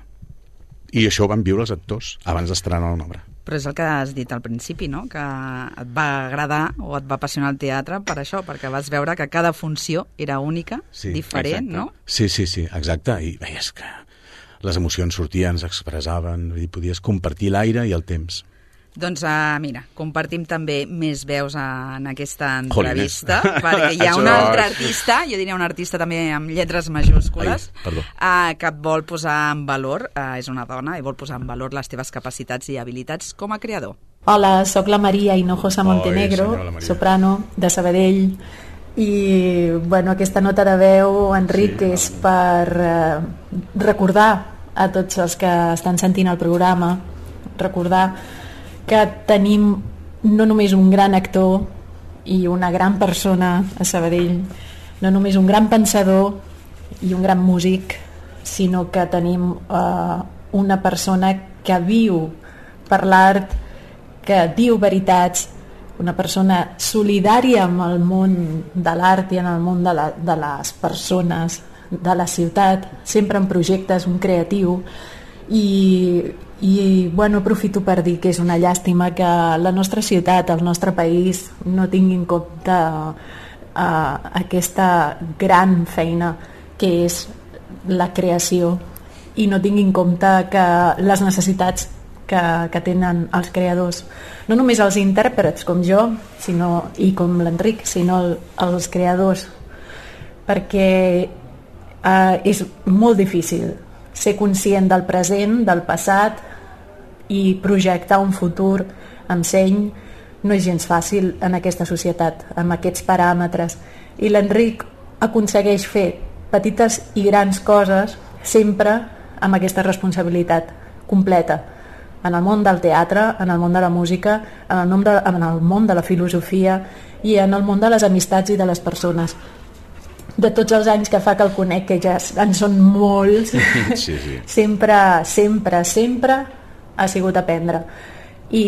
I això ho van viure els actors abans d'estrenar una obra. Però és el que has dit al principi, no? Que et va agradar o et va apassionar el teatre per això, perquè vas veure que cada funció era única, sí, diferent, exacte. No? Sí, sí, sí, exacte. I veies que les emocions sortien, s'expressaven, i podies compartir l'aire i el temps. Doncs uh, mira, compartim també més veus en aquesta entrevista, Jolines. perquè hi ha un altre artista, jo diria un artista també amb lletres majúscules, Ai, uh, que et vol posar en valor, uh, és una dona, i vol posar en valor les teves capacitats i habilitats com a creador. Hola, sóc la Maria Hinojosa Montenegro, Oi, soprano de Sabadell, i bueno, aquesta nota de veu, Enric, sí, és per uh, recordar a tots els que estan sentint el programa, recordar que tenim no només un gran actor i una gran persona a Sabadell, no només un gran pensador i un gran músic, sinó que tenim uh, una persona que viu per l'art, que diu veritats, una persona solidària amb el món de l'art i en el món de, la, de les persones de la ciutat, sempre en projectes, un creatiu, i, i bueno, aprofito per dir que és una llàstima que la nostra ciutat, el nostre país, no tingui en compte uh, aquesta gran feina que és la creació i no tingui en compte que les necessitats que, que tenen els creadors, no només els intèrprets com jo sinó, i com l'Enric, sinó el, els creadors, perquè uh, és molt difícil ser conscient del present, del passat i projectar un futur amb seny. No és gens fàcil en aquesta societat, amb aquests paràmetres, i l'Enric aconsegueix fer petites i grans coses sempre amb aquesta responsabilitat completa en el món del teatre, en el món de la música, en el, nom de, en el món de la filosofia i en el món de les amistats i de les persones. De tots els anys que fa que el conec, que ja en són molts, sí, sí. sempre, sempre, sempre ha sigut aprendre. I,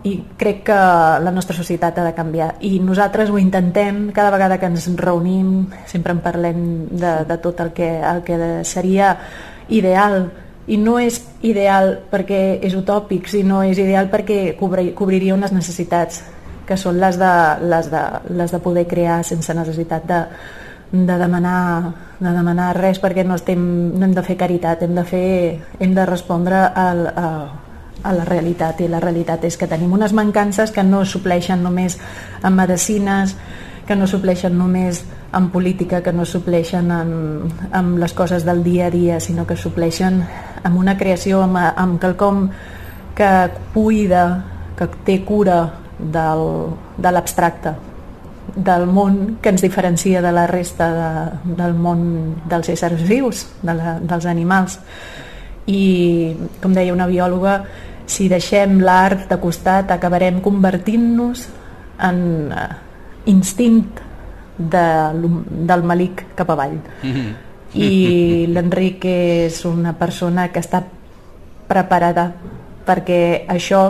i crec que la nostra societat ha de canviar. I nosaltres ho intentem, cada vegada que ens reunim, sempre en parlem de, de tot el que, el que seria ideal. I no és ideal perquè és utòpic, sinó és ideal perquè cobri, cobriria unes necessitats que són les de, les de, les de poder crear sense necessitat de, de, demanar, de demanar res, perquè no, estem, no hem de fer caritat, hem de, fer, hem de respondre al, a, a la realitat, i la realitat és que tenim unes mancances que no supleixen només en medicines, que no supleixen només en política, que no supleixen en, en les coses del dia a dia, sinó que supleixen amb una creació, amb, amb quelcom que cuida, que té cura del, de l'abstracte, del món que ens diferencia de la resta de, del món dels éssers vius, de la, dels animals. I, com deia una biòloga, si deixem l'art de costat acabarem convertint-nos en uh, instint de, del malic cap avall. Mm-hmm. I l'Enric és una persona que està preparada perquè això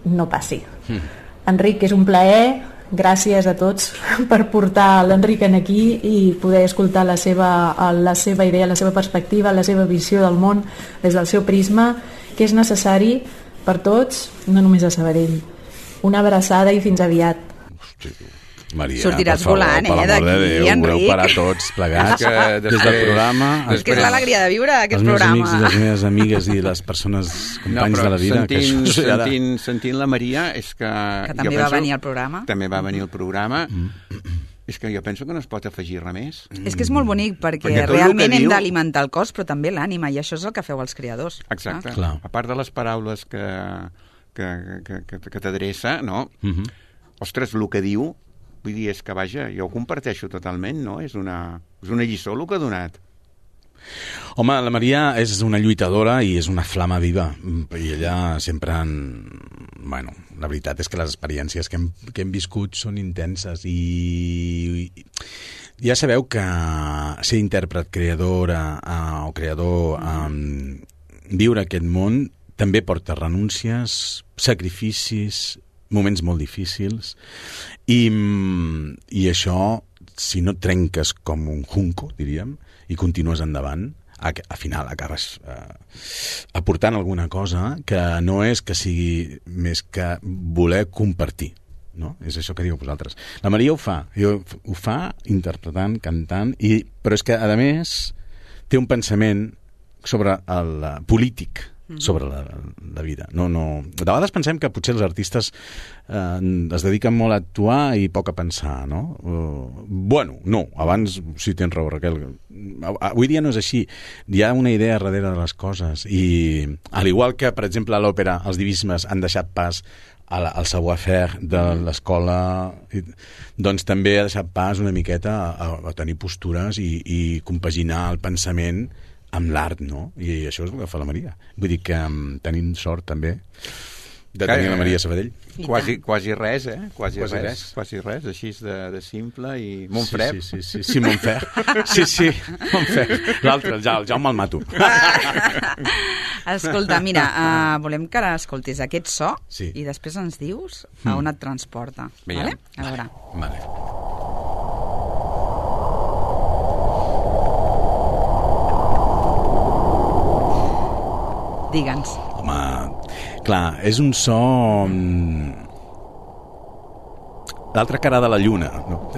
no passi. Mm. Enric, és un plaer, gràcies a tots per portar l'Enric aquí i poder escoltar la seva, la seva idea, la seva perspectiva, la seva visió del món des del seu prisma, que és necessari per tots, no només a Sabadell. Una abraçada i fins aviat. Hosti, Maria, sortiràs per favor, volant, eh, per d'aquí, de Déu, Enric. Voleu parar tots plegats que des del programa. És que és l'alegria de viure aquest els programa. Els meus amics i les meves amigues i les persones companys no, de la vida. Sentint, que això, sentint, sentint la Maria és que... Que també jo va penso, venir al programa. També va venir al programa. Mm. És que jo penso que no es pot afegir res més. És que és molt bonic perquè, perquè realment hem diu... d'alimentar el cos però també l'ànima, i això és el que feu els creadors. Exacte. Ah. A part de les paraules que, que, que, que, que t'adreça, no? Mm-hmm. Ostres, el que diu, vull dir, és que, vaja, jo ho comparteixo totalment, no? És una, és una lliçó el que ha donat. Home, la Maria és una lluitadora i és una flama viva, i ella sempre en... Bueno, la veritat és que les experiències que hem, que hem viscut són intenses i, i ja sabeu que ser intèrpret, creadora uh, o creador, um, viure aquest món també porta renúncies, sacrificis, moments molt difícils, i, i això, si no trenques com un junco, diríem, i continues endavant, a, a final acabes eh, aportant alguna cosa que no és que sigui més que voler compartir, no? És això que diu vosaltres. La Maria ho fa, jo, ho fa interpretant, cantant, i, però és que, a més, té un pensament sobre el uh, polític, sobre la, la vida. No, no... De vegades pensem que potser els artistes eh, es dediquen molt a actuar i poc a pensar, no? Uh, bueno, no, abans sí tens raó, Raquel. Avui dia no és així. Hi ha una idea darrere de les coses i, al igual que, per exemple, a l'òpera els divismes han deixat pas a la, al savoir-faire de l'escola, doncs també ha deixat pas una miqueta a, a tenir postures i, i compaginar el pensament amb l'art, no? I això és el que fa la Maria. Vull dir que um, tenim sort també De tenir la Maria Sabadell. Quasi, quasi res, eh? Quasi, Quasi res, res. Quasi res, així de, de simple i Montfred. Sí, sí, sí, sí, sí, Montfred. Sí, sí, Montfred. L'altre, el, Ja- el Jaume el mato. Escolta, mira, uh, volem que ara escoltis aquest so Sí. i després ens dius a on et transporta. Veiem. Vale? A veure. Vale. Digue'ns. Home, clar, és un so... mm, l'altra cara de la lluna. No?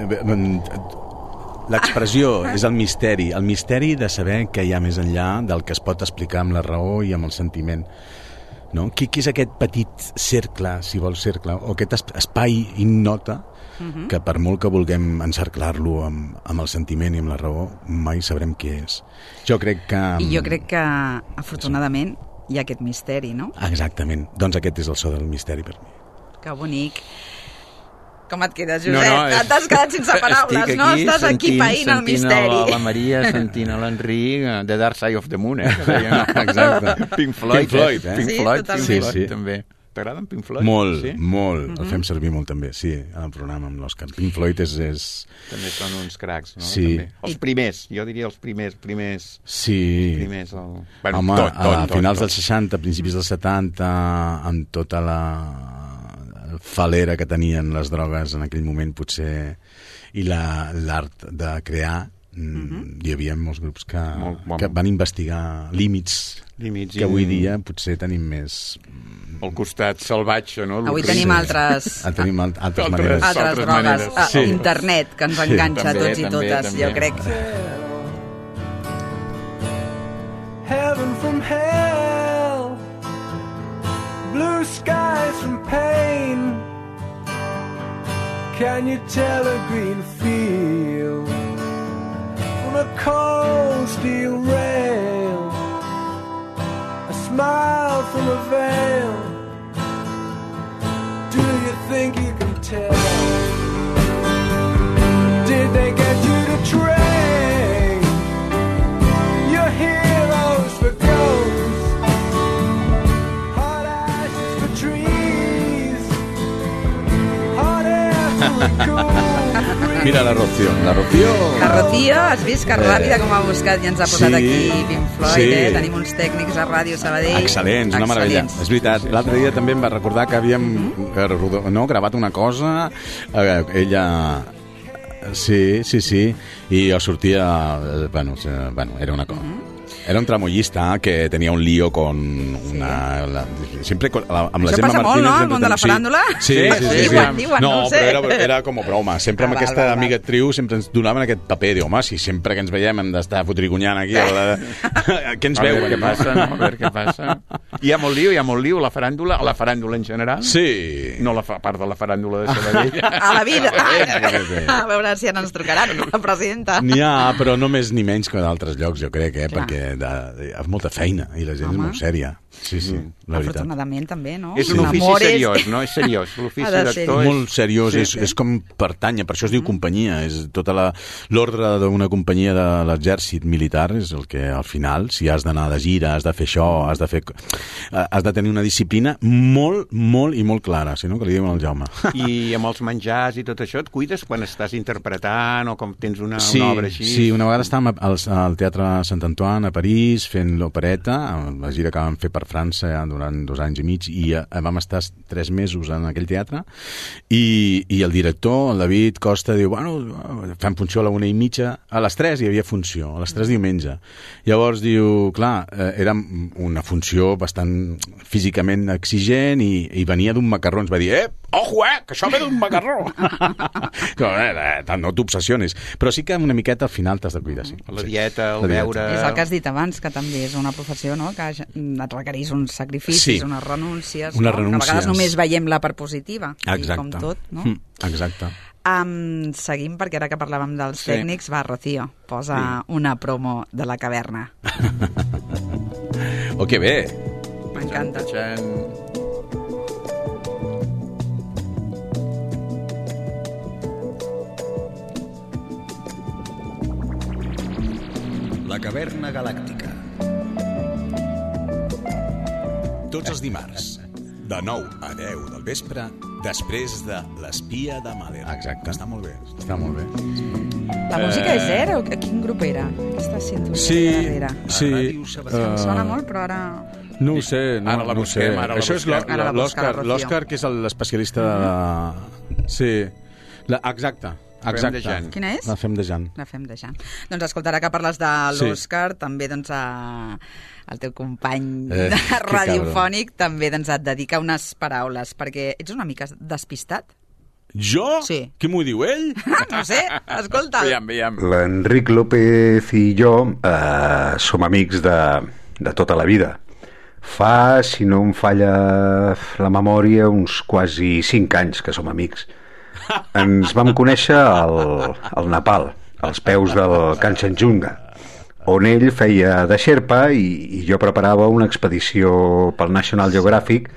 L'expressió és el misteri, el misteri de saber què hi ha més enllà del que es pot explicar amb la raó i amb el sentiment. No? Què, què és aquest petit cercle, si vols cercle, o aquest es- espai ignota Mhm. que per molt que vulguem encerclar-lo amb, amb el sentiment i amb la raó, mai sabrem què és. Jo crec que... I jo crec que, afortunadament, hi ha aquest misteri, no? Exactament. Doncs aquest és el so del misteri per mi. Que bonic. Com et quedes, Josep? No, no, és- T'has quedat sense paraules, Estic no? Estàs aquí païnt el sentint misteri. la, la Maria, sentint l'Enric, uh, The Dark Side of the Moon, eh? que deien. Exacte. Pink Floyd, Pink Floyd, eh? Pink Sí, Floyd, totalment. Pink Sí, Floyd sí. també. T'agraden Pink Floyd? Molt, Sí? molt. El fem servir molt també, sí, en el programa amb l'Òscar. Pink Floyd és... és... També són uns cracs, no? Sí. També. Els primers, jo diria els primers, primers... Sí. primers el... bueno, Home, tot, tot, a tot, finals tot. dels seixanta, principis dels setanta, amb tota la falera que tenien les drogues en aquell moment, potser, i la- l'art de crear, mm, hi havia molts grups que, Molt, molt. que van investigar límits, Límits que i- avui dia potser tenim més... El costat salvatge, no? Avui El tenim crim. altres, Ah, tenim alt- altres Altres- maneres. altres altres drogues. maneres. Ah, Sí. Internet, que ens Sí. enganxa a També, tots i també, totes, també. jo crec. Heaven from hell, blue skies from pain. Can you tell a green field from a cold steel rail? A smile from a veil. Do you think you can tell? Did they get you to trade your heroes for ghosts? Hot ashes for trees, hot air for a cool breeze. Mira la Rocío. La Rocío... La Rocío, has vist que ràpida com ha buscat i ens ha posat Sí. aquí Pink Floyd, Sí. eh? Tenim uns tècnics a Ràdio Sabadell. Excel·lents, una meravella. Excel·lents. És veritat. L'altre dia també em va recordar que havíem eh, rodo- no, gravat una cosa, eh, ella... Sí, sí, sí. I jo sortia... eh, Bueno, eh, bueno era una cosa... Era un tramoyista que tenia un lío con una... La, sempre con, la, amb la Això Gemma passa molt, Martínez... no, al entre món de la tant- sí. faràndula? Sí, sí, sí. sí, Diuen, sí. diuen, no, no ho sé. però era, era com a broma. Sempre amb Ah, val, aquesta val, val. amiga triu sempre ens donaven aquest paper. Diu, home, si sempre que ens veiem hem d'estar fotrigunyant aquí... A la... Què ens A veure veuen? què passa, no? A veure què passa. Hi ha molt lío, hi ha molt lío, a la faràndula, a la faràndula en general. Sí. No la fa, a part de la faràndula de Sabadell. A la vida. Ah, A veure si ara ens trucaran, la presidenta. N'hi ha, però no més ni menys que d'altres llocs, jo crec, eh? Clar. Perquè de, de, és molta feina i la gent Home. és molt sèria. Sí, sí, la veritat. Afortunadament també, no? És un Sí. ofici Amores. seriós, no? És seriós. L'ofici Ha de ser. d'actor és... Molt seriós, Sí, és, sí. és com pertanya, per això es diu companyia, és tota la- l'ordre d'una companyia de l'exèrcit militar, és el que al final, si has d'anar de gira, has de fer això, has de fer... eh, has de tenir una disciplina molt, molt i molt clara, si no, que li diuen al Jaume. I amb els menjars i tot això, et cuides quan estàs interpretant o com tens una, Sí, una obra així? sí, una vegada estàvem al, al Teatre Sant Antoine a París fent l'opereta, la gira que vam fer per França ja durant dos anys i mig, i eh, vam estar tres mesos en aquell teatre, i, i el director, el David Costa, diu, bueno, fem funció a la una i mitja, a les tres hi havia funció, a les tres diumenge. Llavors diu, clar, eh, era una funció bastant físicament exigent i, i venia d'un macarró, ens va dir, eh, ojo, eh, que això ve d'un macarró. no, eh, eh, no t'obsessiones, però sí que una miqueta al final t'has de cuidar, sí. La dieta, el La dieta. beure... És el que has dit abans, que també és una professió, no?, que et requereix uns sacrificis, Sí. unes renúncies, Unes no? Que a renúncies. vegades només veiem la part positiva, Exacte. i com tot, no? Mm, exacte. Um, seguim, perquè ara que parlàvem dels Sí. tècnics, va, Rocío, posa una promo de la caverna. Oh, que bé! M'encanta. Txan. La caverna galàctica. Tots els dimarts, de nou a deu del vespre, després de l'espia de Mahler. Exacte. Està molt bé. Està molt bé. La música és zero? A quin grup era? Aquesta sintonia sí, darrere. Sí, sí. Em sona molt, però ara... No ho sé, no, ara la no busquem, sé. ara la Això és busquem. Ara la busca l'Òscar, la l'Òscar, que és l'especialista de la... Sí, la... exacte. Exacte. de Jan. Quina és? La Fem de Jan. La Fem de Jan. Doncs escoltarà que parles de l'Òscar, sí. també doncs, a... el teu company eh, radiofònic també doncs, et dedica unes paraules, perquè ets una mica despistat. Jo? Sí. Qui m'ho diu, ell? No sé, escolta. Veiem, veiem. L'Enric López i jo eh, som amics de, de tota la vida. Fa, si no em falla la memòria, uns quasi cinc anys que som amics. Ens vam conèixer al, al Nepal, als peus del Kanchenjunga, on ell feia de Sherpa i, i jo preparava una expedició pel National Geographic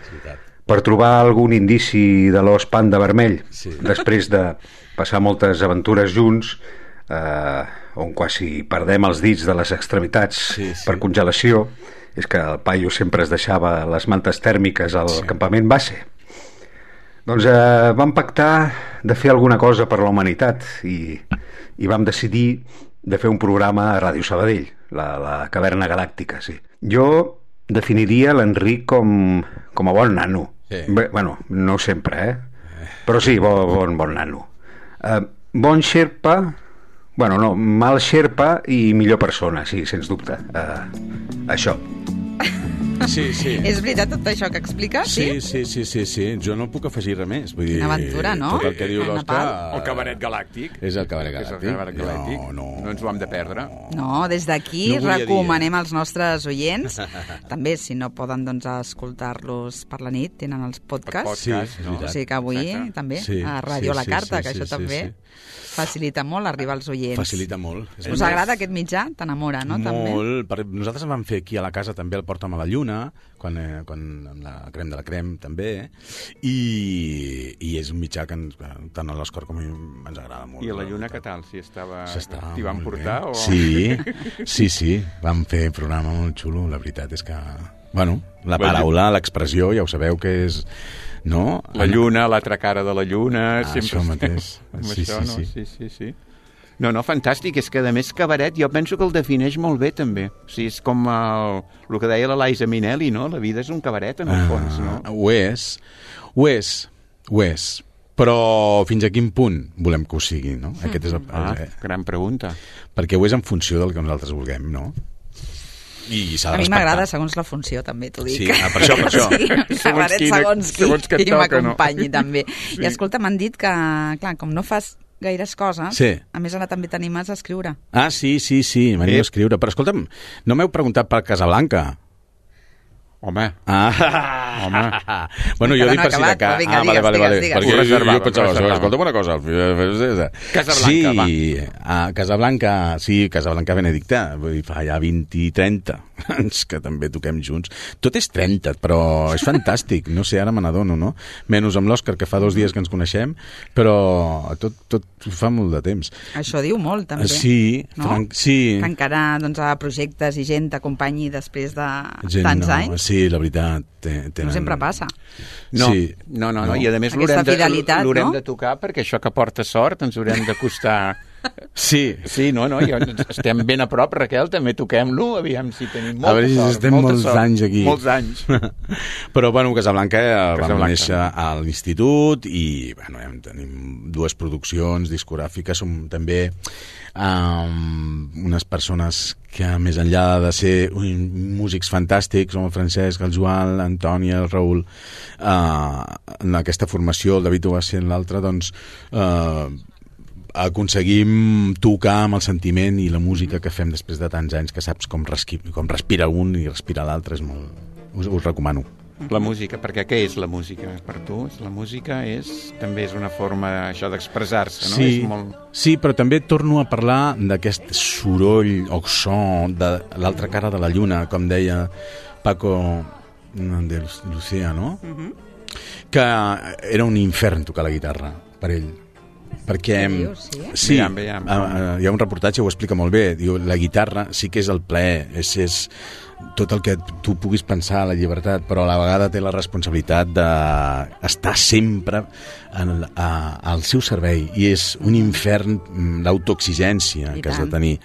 per trobar algun indici de l'os panda vermell, sí. després de passar moltes aventures junts, eh, on quasi perdem els dits de les extremitats sí, sí. per congelació. És que el paio sempre es deixava les mantes tèrmiques al sí. campament base. Doncs eh, vam pactar de fer alguna cosa per la humanitat i, i vam decidir de fer un programa a Ràdio Sabadell, la, la Caverna Galàctica, sí. Jo definiria l'Enric com, com a bon nano. Sí. Bé, bueno, no sempre, eh? Però sí, bon, bon, bon nano. Eh, bon xerpa, bueno, no, mal xerpa i millor persona, sí, sens dubte. Eh, això. Sí, sí. És veritat tot això que expliques? Sí, sí, sí, sí, sí. Jo no puc afegir res més. Vull dir, una aventura, no? Tot el que diu l'Òscar... El cabaret galàctic. És el cabaret galàctic. És el cabaret galàctic. No, no. No ens ho hem de perdre. No, des d'aquí no recomanem als nostres oients, també, si no poden doncs, escoltar-los per la nit, tenen els podcasts. Sí, no? O sigui que avui Exacte. també, sí, a Ràdio sí, La Carta, sí, que sí, això sí, també... sí. Facilita molt arribar als oients. Facilita molt. Us agrada aquest mitjà? T'enamora, no? Molt. Per, nosaltres vam fer aquí a la casa també el Porta'm a la Lluna, quan, eh, quan amb la crem de la crem també, i, i és un mitjà que ens, tant a l'Òscar com a mi ens agrada molt. I a la Lluna què tal? Si estava... S'estava T'hi van portar? O... O... Sí, sí, sí. Vam fer un programa molt xulo. La veritat és que... Bueno, la paraula, l'expressió, ja ho sabeu que és... No? La lluna, l'altra cara de la lluna... Ah, sempre això mateix. Sí, això, sí, no? sí. sí, sí, sí. No, no, fantàstic. És que, a més, cabaret jo penso que el defineix molt bé, també. O sigui, és com el, el que deia la Liza Minnelli, no? La vida és un cabaret, en el fons, no? Ah, ho és. Ho és. Ho és. Però fins a quin punt volem que ho sigui, no? Aquest és el... Ah, gran pregunta. Perquè ho és en funció del que nosaltres vulguem, no? I s'ha de a mi respectar. m'agrada segons la funció, també t'ho dic. Sí, ah, per això, per això. Sí, segons, quina, segons qui, segons qui m'acompanyi, no? també. Sí. I escolta, m'han dit que, clar, com no fas gaires coses, sí. a més ara també t'animes a escriure. Ah, sí, sí, sí, m'animo a escriure. Però escolta'm, no m'heu preguntat per Casablanca? Home. Ah. Home. Bueno, jo no dic per si de cas. Vinga, ah, vale, digues, vale, vale. Digues, Perquè digues. jo, jo, jo pensava, escolta'm una cosa. Casablanca, sí, va. a Casablanca, sí, Casablanca Benedicta. Vull dir, fa ja vint i trenta anys que també toquem junts. Tot és trenta, però és fantàstic. No sé, ara me n'adono, no? Menys amb l'Òscar, que fa dos dies que ens coneixem, però tot, tot fa molt de temps. Això diu molt, també. Sí, no? franc, sí. Que encara doncs, a projectes i gent t'acompanyi després de gent, tants no, anys. Sí, la veritat. Tenen... No sempre passa. No, sí. no, no, no, no. I a més l'haurem de, no? de tocar perquè això que porta sort ens haurem d'acostar. Sí. Sí, no, no, ja estem ben a prop, Raquel, també toquem-lo, aviam si tenim molta a veure si sort. Estem molta molts sort, anys aquí. Molts anys. Però, bueno, Casablanca, Casablanca. vam néixer a l'institut i, bueno, tenim dues produccions discogràfiques, som també um, unes persones que, més enllà de ser músics fantàstics, com el Francesc, el Joan, l'Antònia, el Raül, uh, en aquesta formació, el David ho va ser en l'altra, doncs... Uh, aconseguim tocar amb el sentiment i la música que fem després de tants anys, que saps com, resqui, com respira un i respira l'altre, és molt... Us, us recomano. La música, perquè què és la música per tu? La música és, també és una forma això d'expressar-se, no? Sí, és molt... sí, però també torno a parlar d'aquest soroll o so de l'altra cara de la lluna, com deia Paco de Lucía, no? Uh-huh. Que era un infern tocar la guitarra per ell. perquè dius, sí? sí, Veiem, veiem. uh, hi ha un reportatge que ho explica molt bé. Diu, la guitarra sí que és el plaer, és, és tot el que tu puguis pensar a la llibertat, però a la vegada té la responsabilitat d'estar sempre en, a, al seu servei, i és un infern l'autoexigència que has de tenir.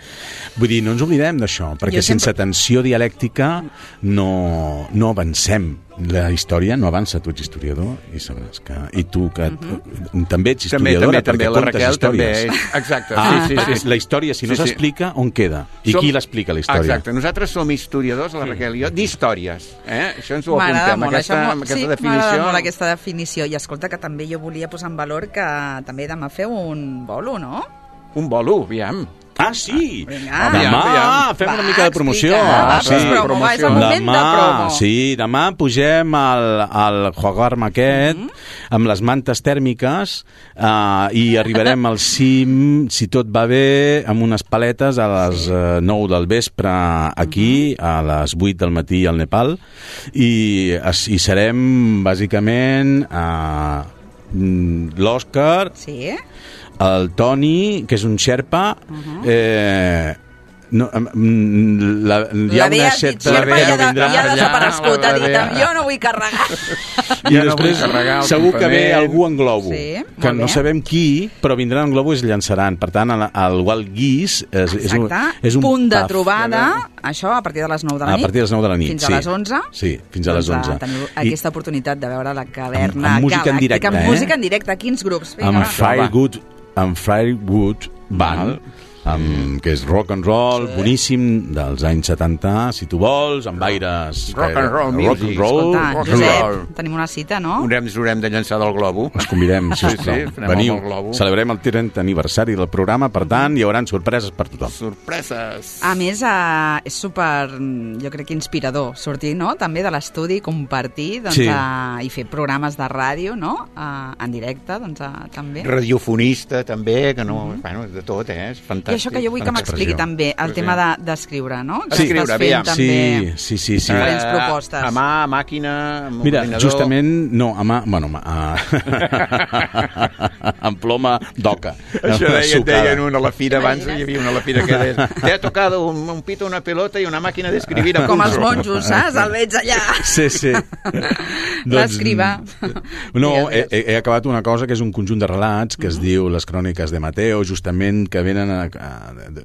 Vull dir, no ens oblidem d'això, perquè Jo sense sempre... tensió dialèctica no, no avancem. La història no avança, tu ets historiador i sabràs que... I tu que uh-huh. també ets historiadora, també, també, també, perquè la contes Raquel històries. També és... Exacte, ah, sí, sí, sí. La història, si no sí, sí. s'explica, on queda? I som... qui l'explica, la història? Exacte, nosaltres som historiadors, la Raquel i jo, d'històries. Eh? Això ens ho M'agrada apuntem, molt, aquesta, això, aquesta sí, definició. m'agrada molt aquesta definició. I escolta, que també jo volia posar en valor que també demà feu un bolo, no? Un bolo, aviam. Ah, sí! Vinga. Demà aviam. fem Va, una mica de promoció. explica. Va, sí. pues promo, va, és el moment demà, de promo. Sí, demà pugem al, al Juagarm aquest, mm-hmm. amb les mantes tèrmiques, uh, i arribarem al cim, si tot va bé, amb unes paletes a les uh, nou del vespre aquí, mm-hmm. a les vuit del matí al Nepal, i, i serem, bàsicament, uh, l'Òscar, sí. el Toni, que és un xerpa, uh-huh. eh, no, la, hi ha la una certa... certa... La Bea ja, no ja ha desaparegut, ha dit, Bea. jo no vull carregar. I ja després no segur que ve algú en globo, sí, que no sabem qui, però vindran en globo i es llançaran. Per tant, el, el Wild Geese és, és un, és un punt de paf. trobada, això a partir de les nou de la nit. A partir de les nou de la nit, fins sí. a les onze. Sí, fins a les doncs, onze. Teniu I, aquesta oportunitat de veure la caverna amb, amb música en directe, amb eh? música en directe, quins grups? Vinga, amb va. Firewood, amb Firewood Band, amb, que és rock and roll, sí. boníssim, dels anys setanta, si tu vols, amb aires... Rock and roll rock music. and roll, Escolta, rock and Josep, roll. tenim una cita, no? Haurem, ens haurem de llançar del globo. Us convidem, Sí, sisplau. sí, anem Veniu, amb el globo. celebrem el trentè aniversari del programa, per tant, hi haurà sorpreses per tothom. Sorpreses. A més, eh, és super, jo crec que inspirador sortir, no?, també de l'estudi, compartir, doncs, Sí. eh, i fer programes de ràdio, no?, eh, en directe, doncs, eh, també. Radiofonista, també, que no... Bueno, de tot, eh? És fantàstic. I això que jo vull que m'expliqui també, el Sí. tema de- d'escriure, no? Que Sí. estàs Escriure, fent aviam. també Sí, sí, sí. sí. diferents propostes. A mà, a màquina, amb Mira, ordinador... justament, no, a mà, bueno, a, amb ploma d'oca. Això deien, sucada. deien una a la fira abans, hi havia una a la fira que deia te ha tocado un, un pito, una pelota i una màquina d'escribir a Com pulso. els monjos, saps? El veig allà. Sí, sí. L'escriva. No, he, he acabat una cosa que és un conjunt de relats que es diu Les cròniques de Mateo, justament que venen a, a,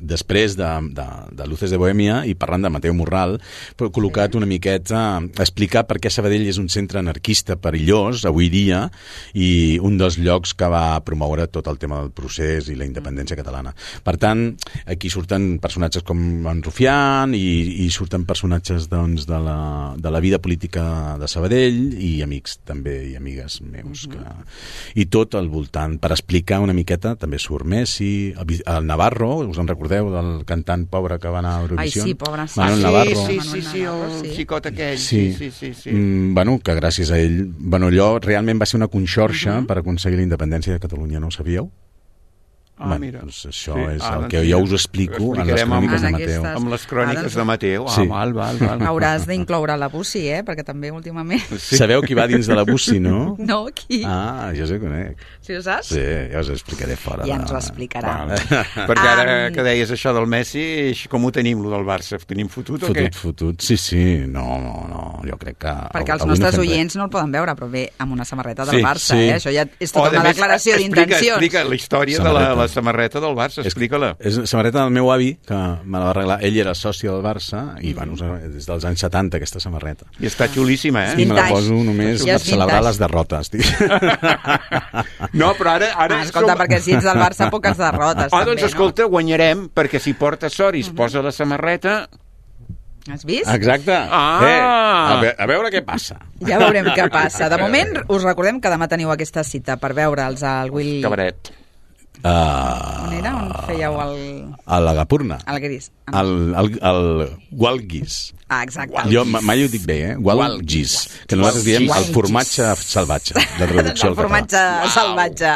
després de, de, de Luces de Bohèmia i parlant de Mateo Morral, però col·locat una miqueta a explicar per què Sabadell és un centre anarquista perillós avui dia i un dels llocs que va promoure tot el tema del procés i la independència catalana. Per tant, aquí surten personatges com en Rufián i, i surten personatges doncs, de, la, de la vida política de Sabadell i amics també i amigues meus. Que... I tot al voltant, per explicar una miqueta, també surt Messi, el, el Navarro, us en recordeu del cantant pobre que va anar a Eurovisió? Ai, sí, pobre, sí. Manuel Ah, Navarro. sí, sí, sí, sí, el xicot aquell. Sí, sí, sí, sí. Mm, bueno, que gràcies a ell, bueno, allò realment va ser una conxorxa uh-huh. per aconseguir la independència de Catalunya, no ho sabíeu? Ah, bueno, mira. doncs això Sí. és Ah, el doncs que mira. jo us explico Ho en les explicarem cròniques amb- de en Mateo. aquestes- Amb les cròniques Ah, doncs- de Mateu. Ah, Sí. val, val, val. Hauràs d'incloure la Bussi, eh? Perquè també últimament... Sí. Sabeu qui va dins de la Bussi, no? No, qui? Ah, jo sé conec. Si ho saps? Sí, ja us ho explicaré fora. Ja de- ens ho explicarà. Vale. Perquè ara Um, que deies això del Messi, com ho tenim, lo del Barça? Ho tenim fotut o què? Fotut, fotut. Sí, sí. No, no, no. Jo crec que... Perquè els avui no nostres fem res. oients no el poden veure, però bé, amb una samarreta del Sí, Barça, sí. eh? Això ja és tota Oh, a una més, declaració explica, d'intencions. Explica la història de la, Samarreta. la samarreta del Barça, explica-la. És la samarreta del meu avi, que me la va arreglar. Ell era soci del Barça i, bueno, des dels anys setanta, aquesta samarreta. I està xulíssima, eh? I me la Vintage. poso només Ja per és celebrar vintage. les derrotes. Dic. No, però ara... ara Ah, escolta, perquè si ets del Barça, poques derrotes. Ah, també, doncs escolta, guanyarem, perquè si porta sort i es posa la samarreta... No? Has vist? Exacte. Ah! Eh, a, ve a veure què passa. Ja veurem què passa. De moment, us recordem que demà teniu aquesta cita per veure'ls al Will... Cabaret. Uh, On era? On fèieu el... a la Gapurna. El gris. El, el, el Walgis. Ah, exacte. Jo ma- mai ho dic bé, eh? Walgis. Que nosaltres diem el Walgis. formatge salvatge, de traducció El al català. formatge salvatge.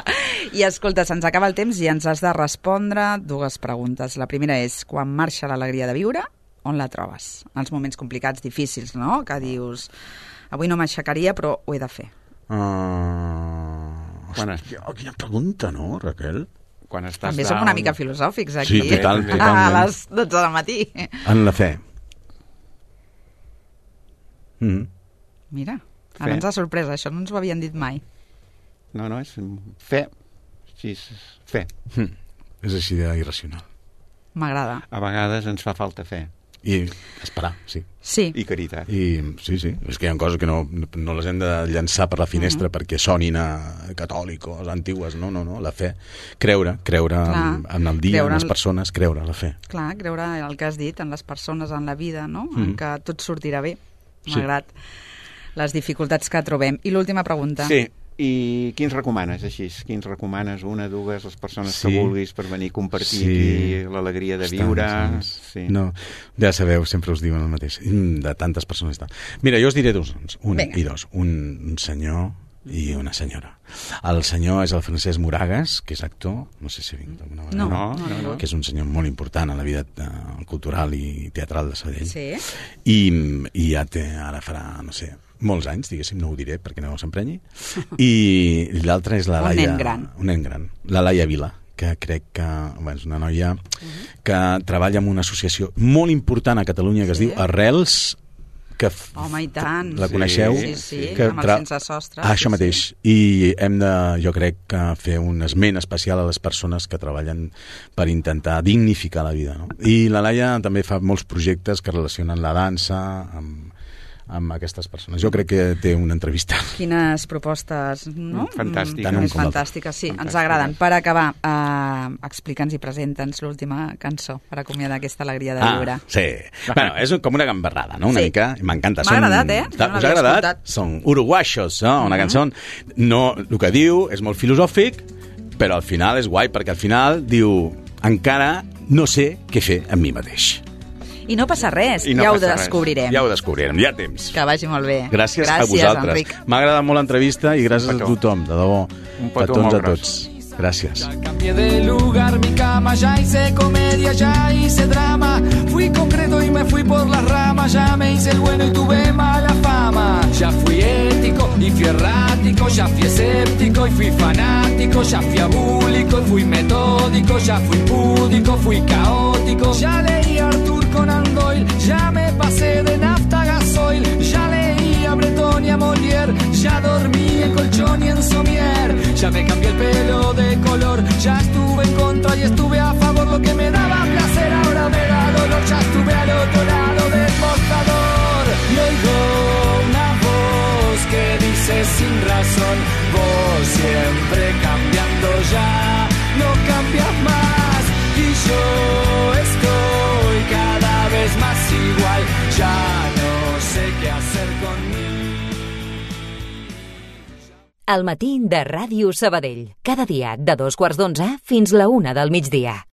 I escolta, se'ns acaba el temps i ens has de respondre dues preguntes. La primera és, quan marxa l'alegria de viure, on la trobes? En els moments complicats, difícils, no? Que dius, avui no m'aixecaria, però ho he de fer. Uh, Quan... Hòstia, quina pregunta, no, Raquel? Quan estàs També som una mica filosòfics, aquí. Sí, total, A totalment. les dotze del matí. En la fe. Mm. Mira, ara ens ha sorprès, això no ens ho havien dit mai. No, no, és fe. Sí, és fe. Mm. És així d'irracional. M'agrada. A vegades ens fa falta fe. I esperar, sí. Sí. I caritat. I, sí, sí, és que hi ha coses que no, no les hem de llançar per la finestra mm-hmm. perquè sonin a catòlicos, antigues, no, no, no, la fe. Creure, creure en, en el dia, creure en les persones, creure, la fe. Clar, creure en el que has dit, en les persones, en la vida, no? Mm-hmm. En que tot sortirà bé, malgrat sí. les dificultats que trobem. I l'última pregunta. Sí. I quins recomanes, així? Quins recomanes? Una, dues, les persones sí. que vulguis per venir a compartir sí. aquí l'alegria de viure? Sí. No, ja sabeu, sempre us diuen el mateix, de tantes persones. Mira, jo us diré dos, un Venga. i dos. Un, un senyor i una senyora. El senyor és el Francesc Moragas, que és actor, no sé si ha vingut alguna vegada, no, no, no, no. que és un senyor molt important a la vida uh, cultural i teatral de Sabadell. Sí. I, i ja té, ara farà, no sé, molts anys, diguéssim, no ho diré perquè no s'emprenyi. I l'altra és la Laia... Un nen gran. Un nen gran. La Laia Vila, que crec que bueno, és una noia uh-huh. que treballa en una associació molt important a Catalunya que sí. es diu Arrels, que Home, i tant. La coneixeu? Sí, sí, sí. Que amb el sense sostre. Ah, això sí, mateix. Sí. I hem de, jo crec, que fer un esment especial a les persones que treballen per intentar dignificar la vida. No? I la Laia també fa molts projectes que relacionen la dansa amb amb aquestes persones. Jo crec que té una entrevista. Quines propostes, no? Fantàstiques. Mm, fantàstiques, sí, fantàstiques. Ens agraden. Per acabar, eh, explica'ns i presenta'ns l'última cançó per acomiadar aquesta alegria de viure. Ah, sí. Bueno, és com una gambarrada, no? Una sí. mica. M'encanta. M'ha agradat, eh? Us ha agradat? Escoltat. Són uruguaios, no? Una uh-huh. cançó. No, el que diu és molt filosòfic, però al final és guai, perquè al final diu encara no sé què fer amb mi mateix. I no passa res, no ja ho passa descobrirem. Res. Ja ho descobrirem, ja temps. Que vagi molt bé. Gràcies, gràcies a vosaltres. Enric. M'ha agradat molt l'entrevista i gràcies a tothom, de debò. Un petó a tots, molt a tots. Gràcies. Ya cambié de lugar mi cama, ya hice comedia, ya hice drama. Fui concreto y me fui por las ramas, ya me hice el bueno y tuve mala fama. Ya fui ético y fui errático, ya fui escéptico y fui fanático, ya fui abúlico y fui metódico, ya fui púdico, fui caótico. Ya leí a Arthur Conan Doyle, ya me pasé de nafta a gasoil, ya leí a Breton y a Molière, ya dormí en colchón y en somier, ya me cambié el pelo de color, ya estuve en contra y estuve a favor, lo que me daba placer ahora me da dolor, ya estuve al otro lado del mostrador y oigo una voz que dice sin razón, vos siempre cambiando ya, no cambias más y yo estoy cada vez más igual, ya no sé qué hacer conmigo. El matí de Ràdio Sabadell. Cada dia de dos quarts d'onze fins la una del migdia.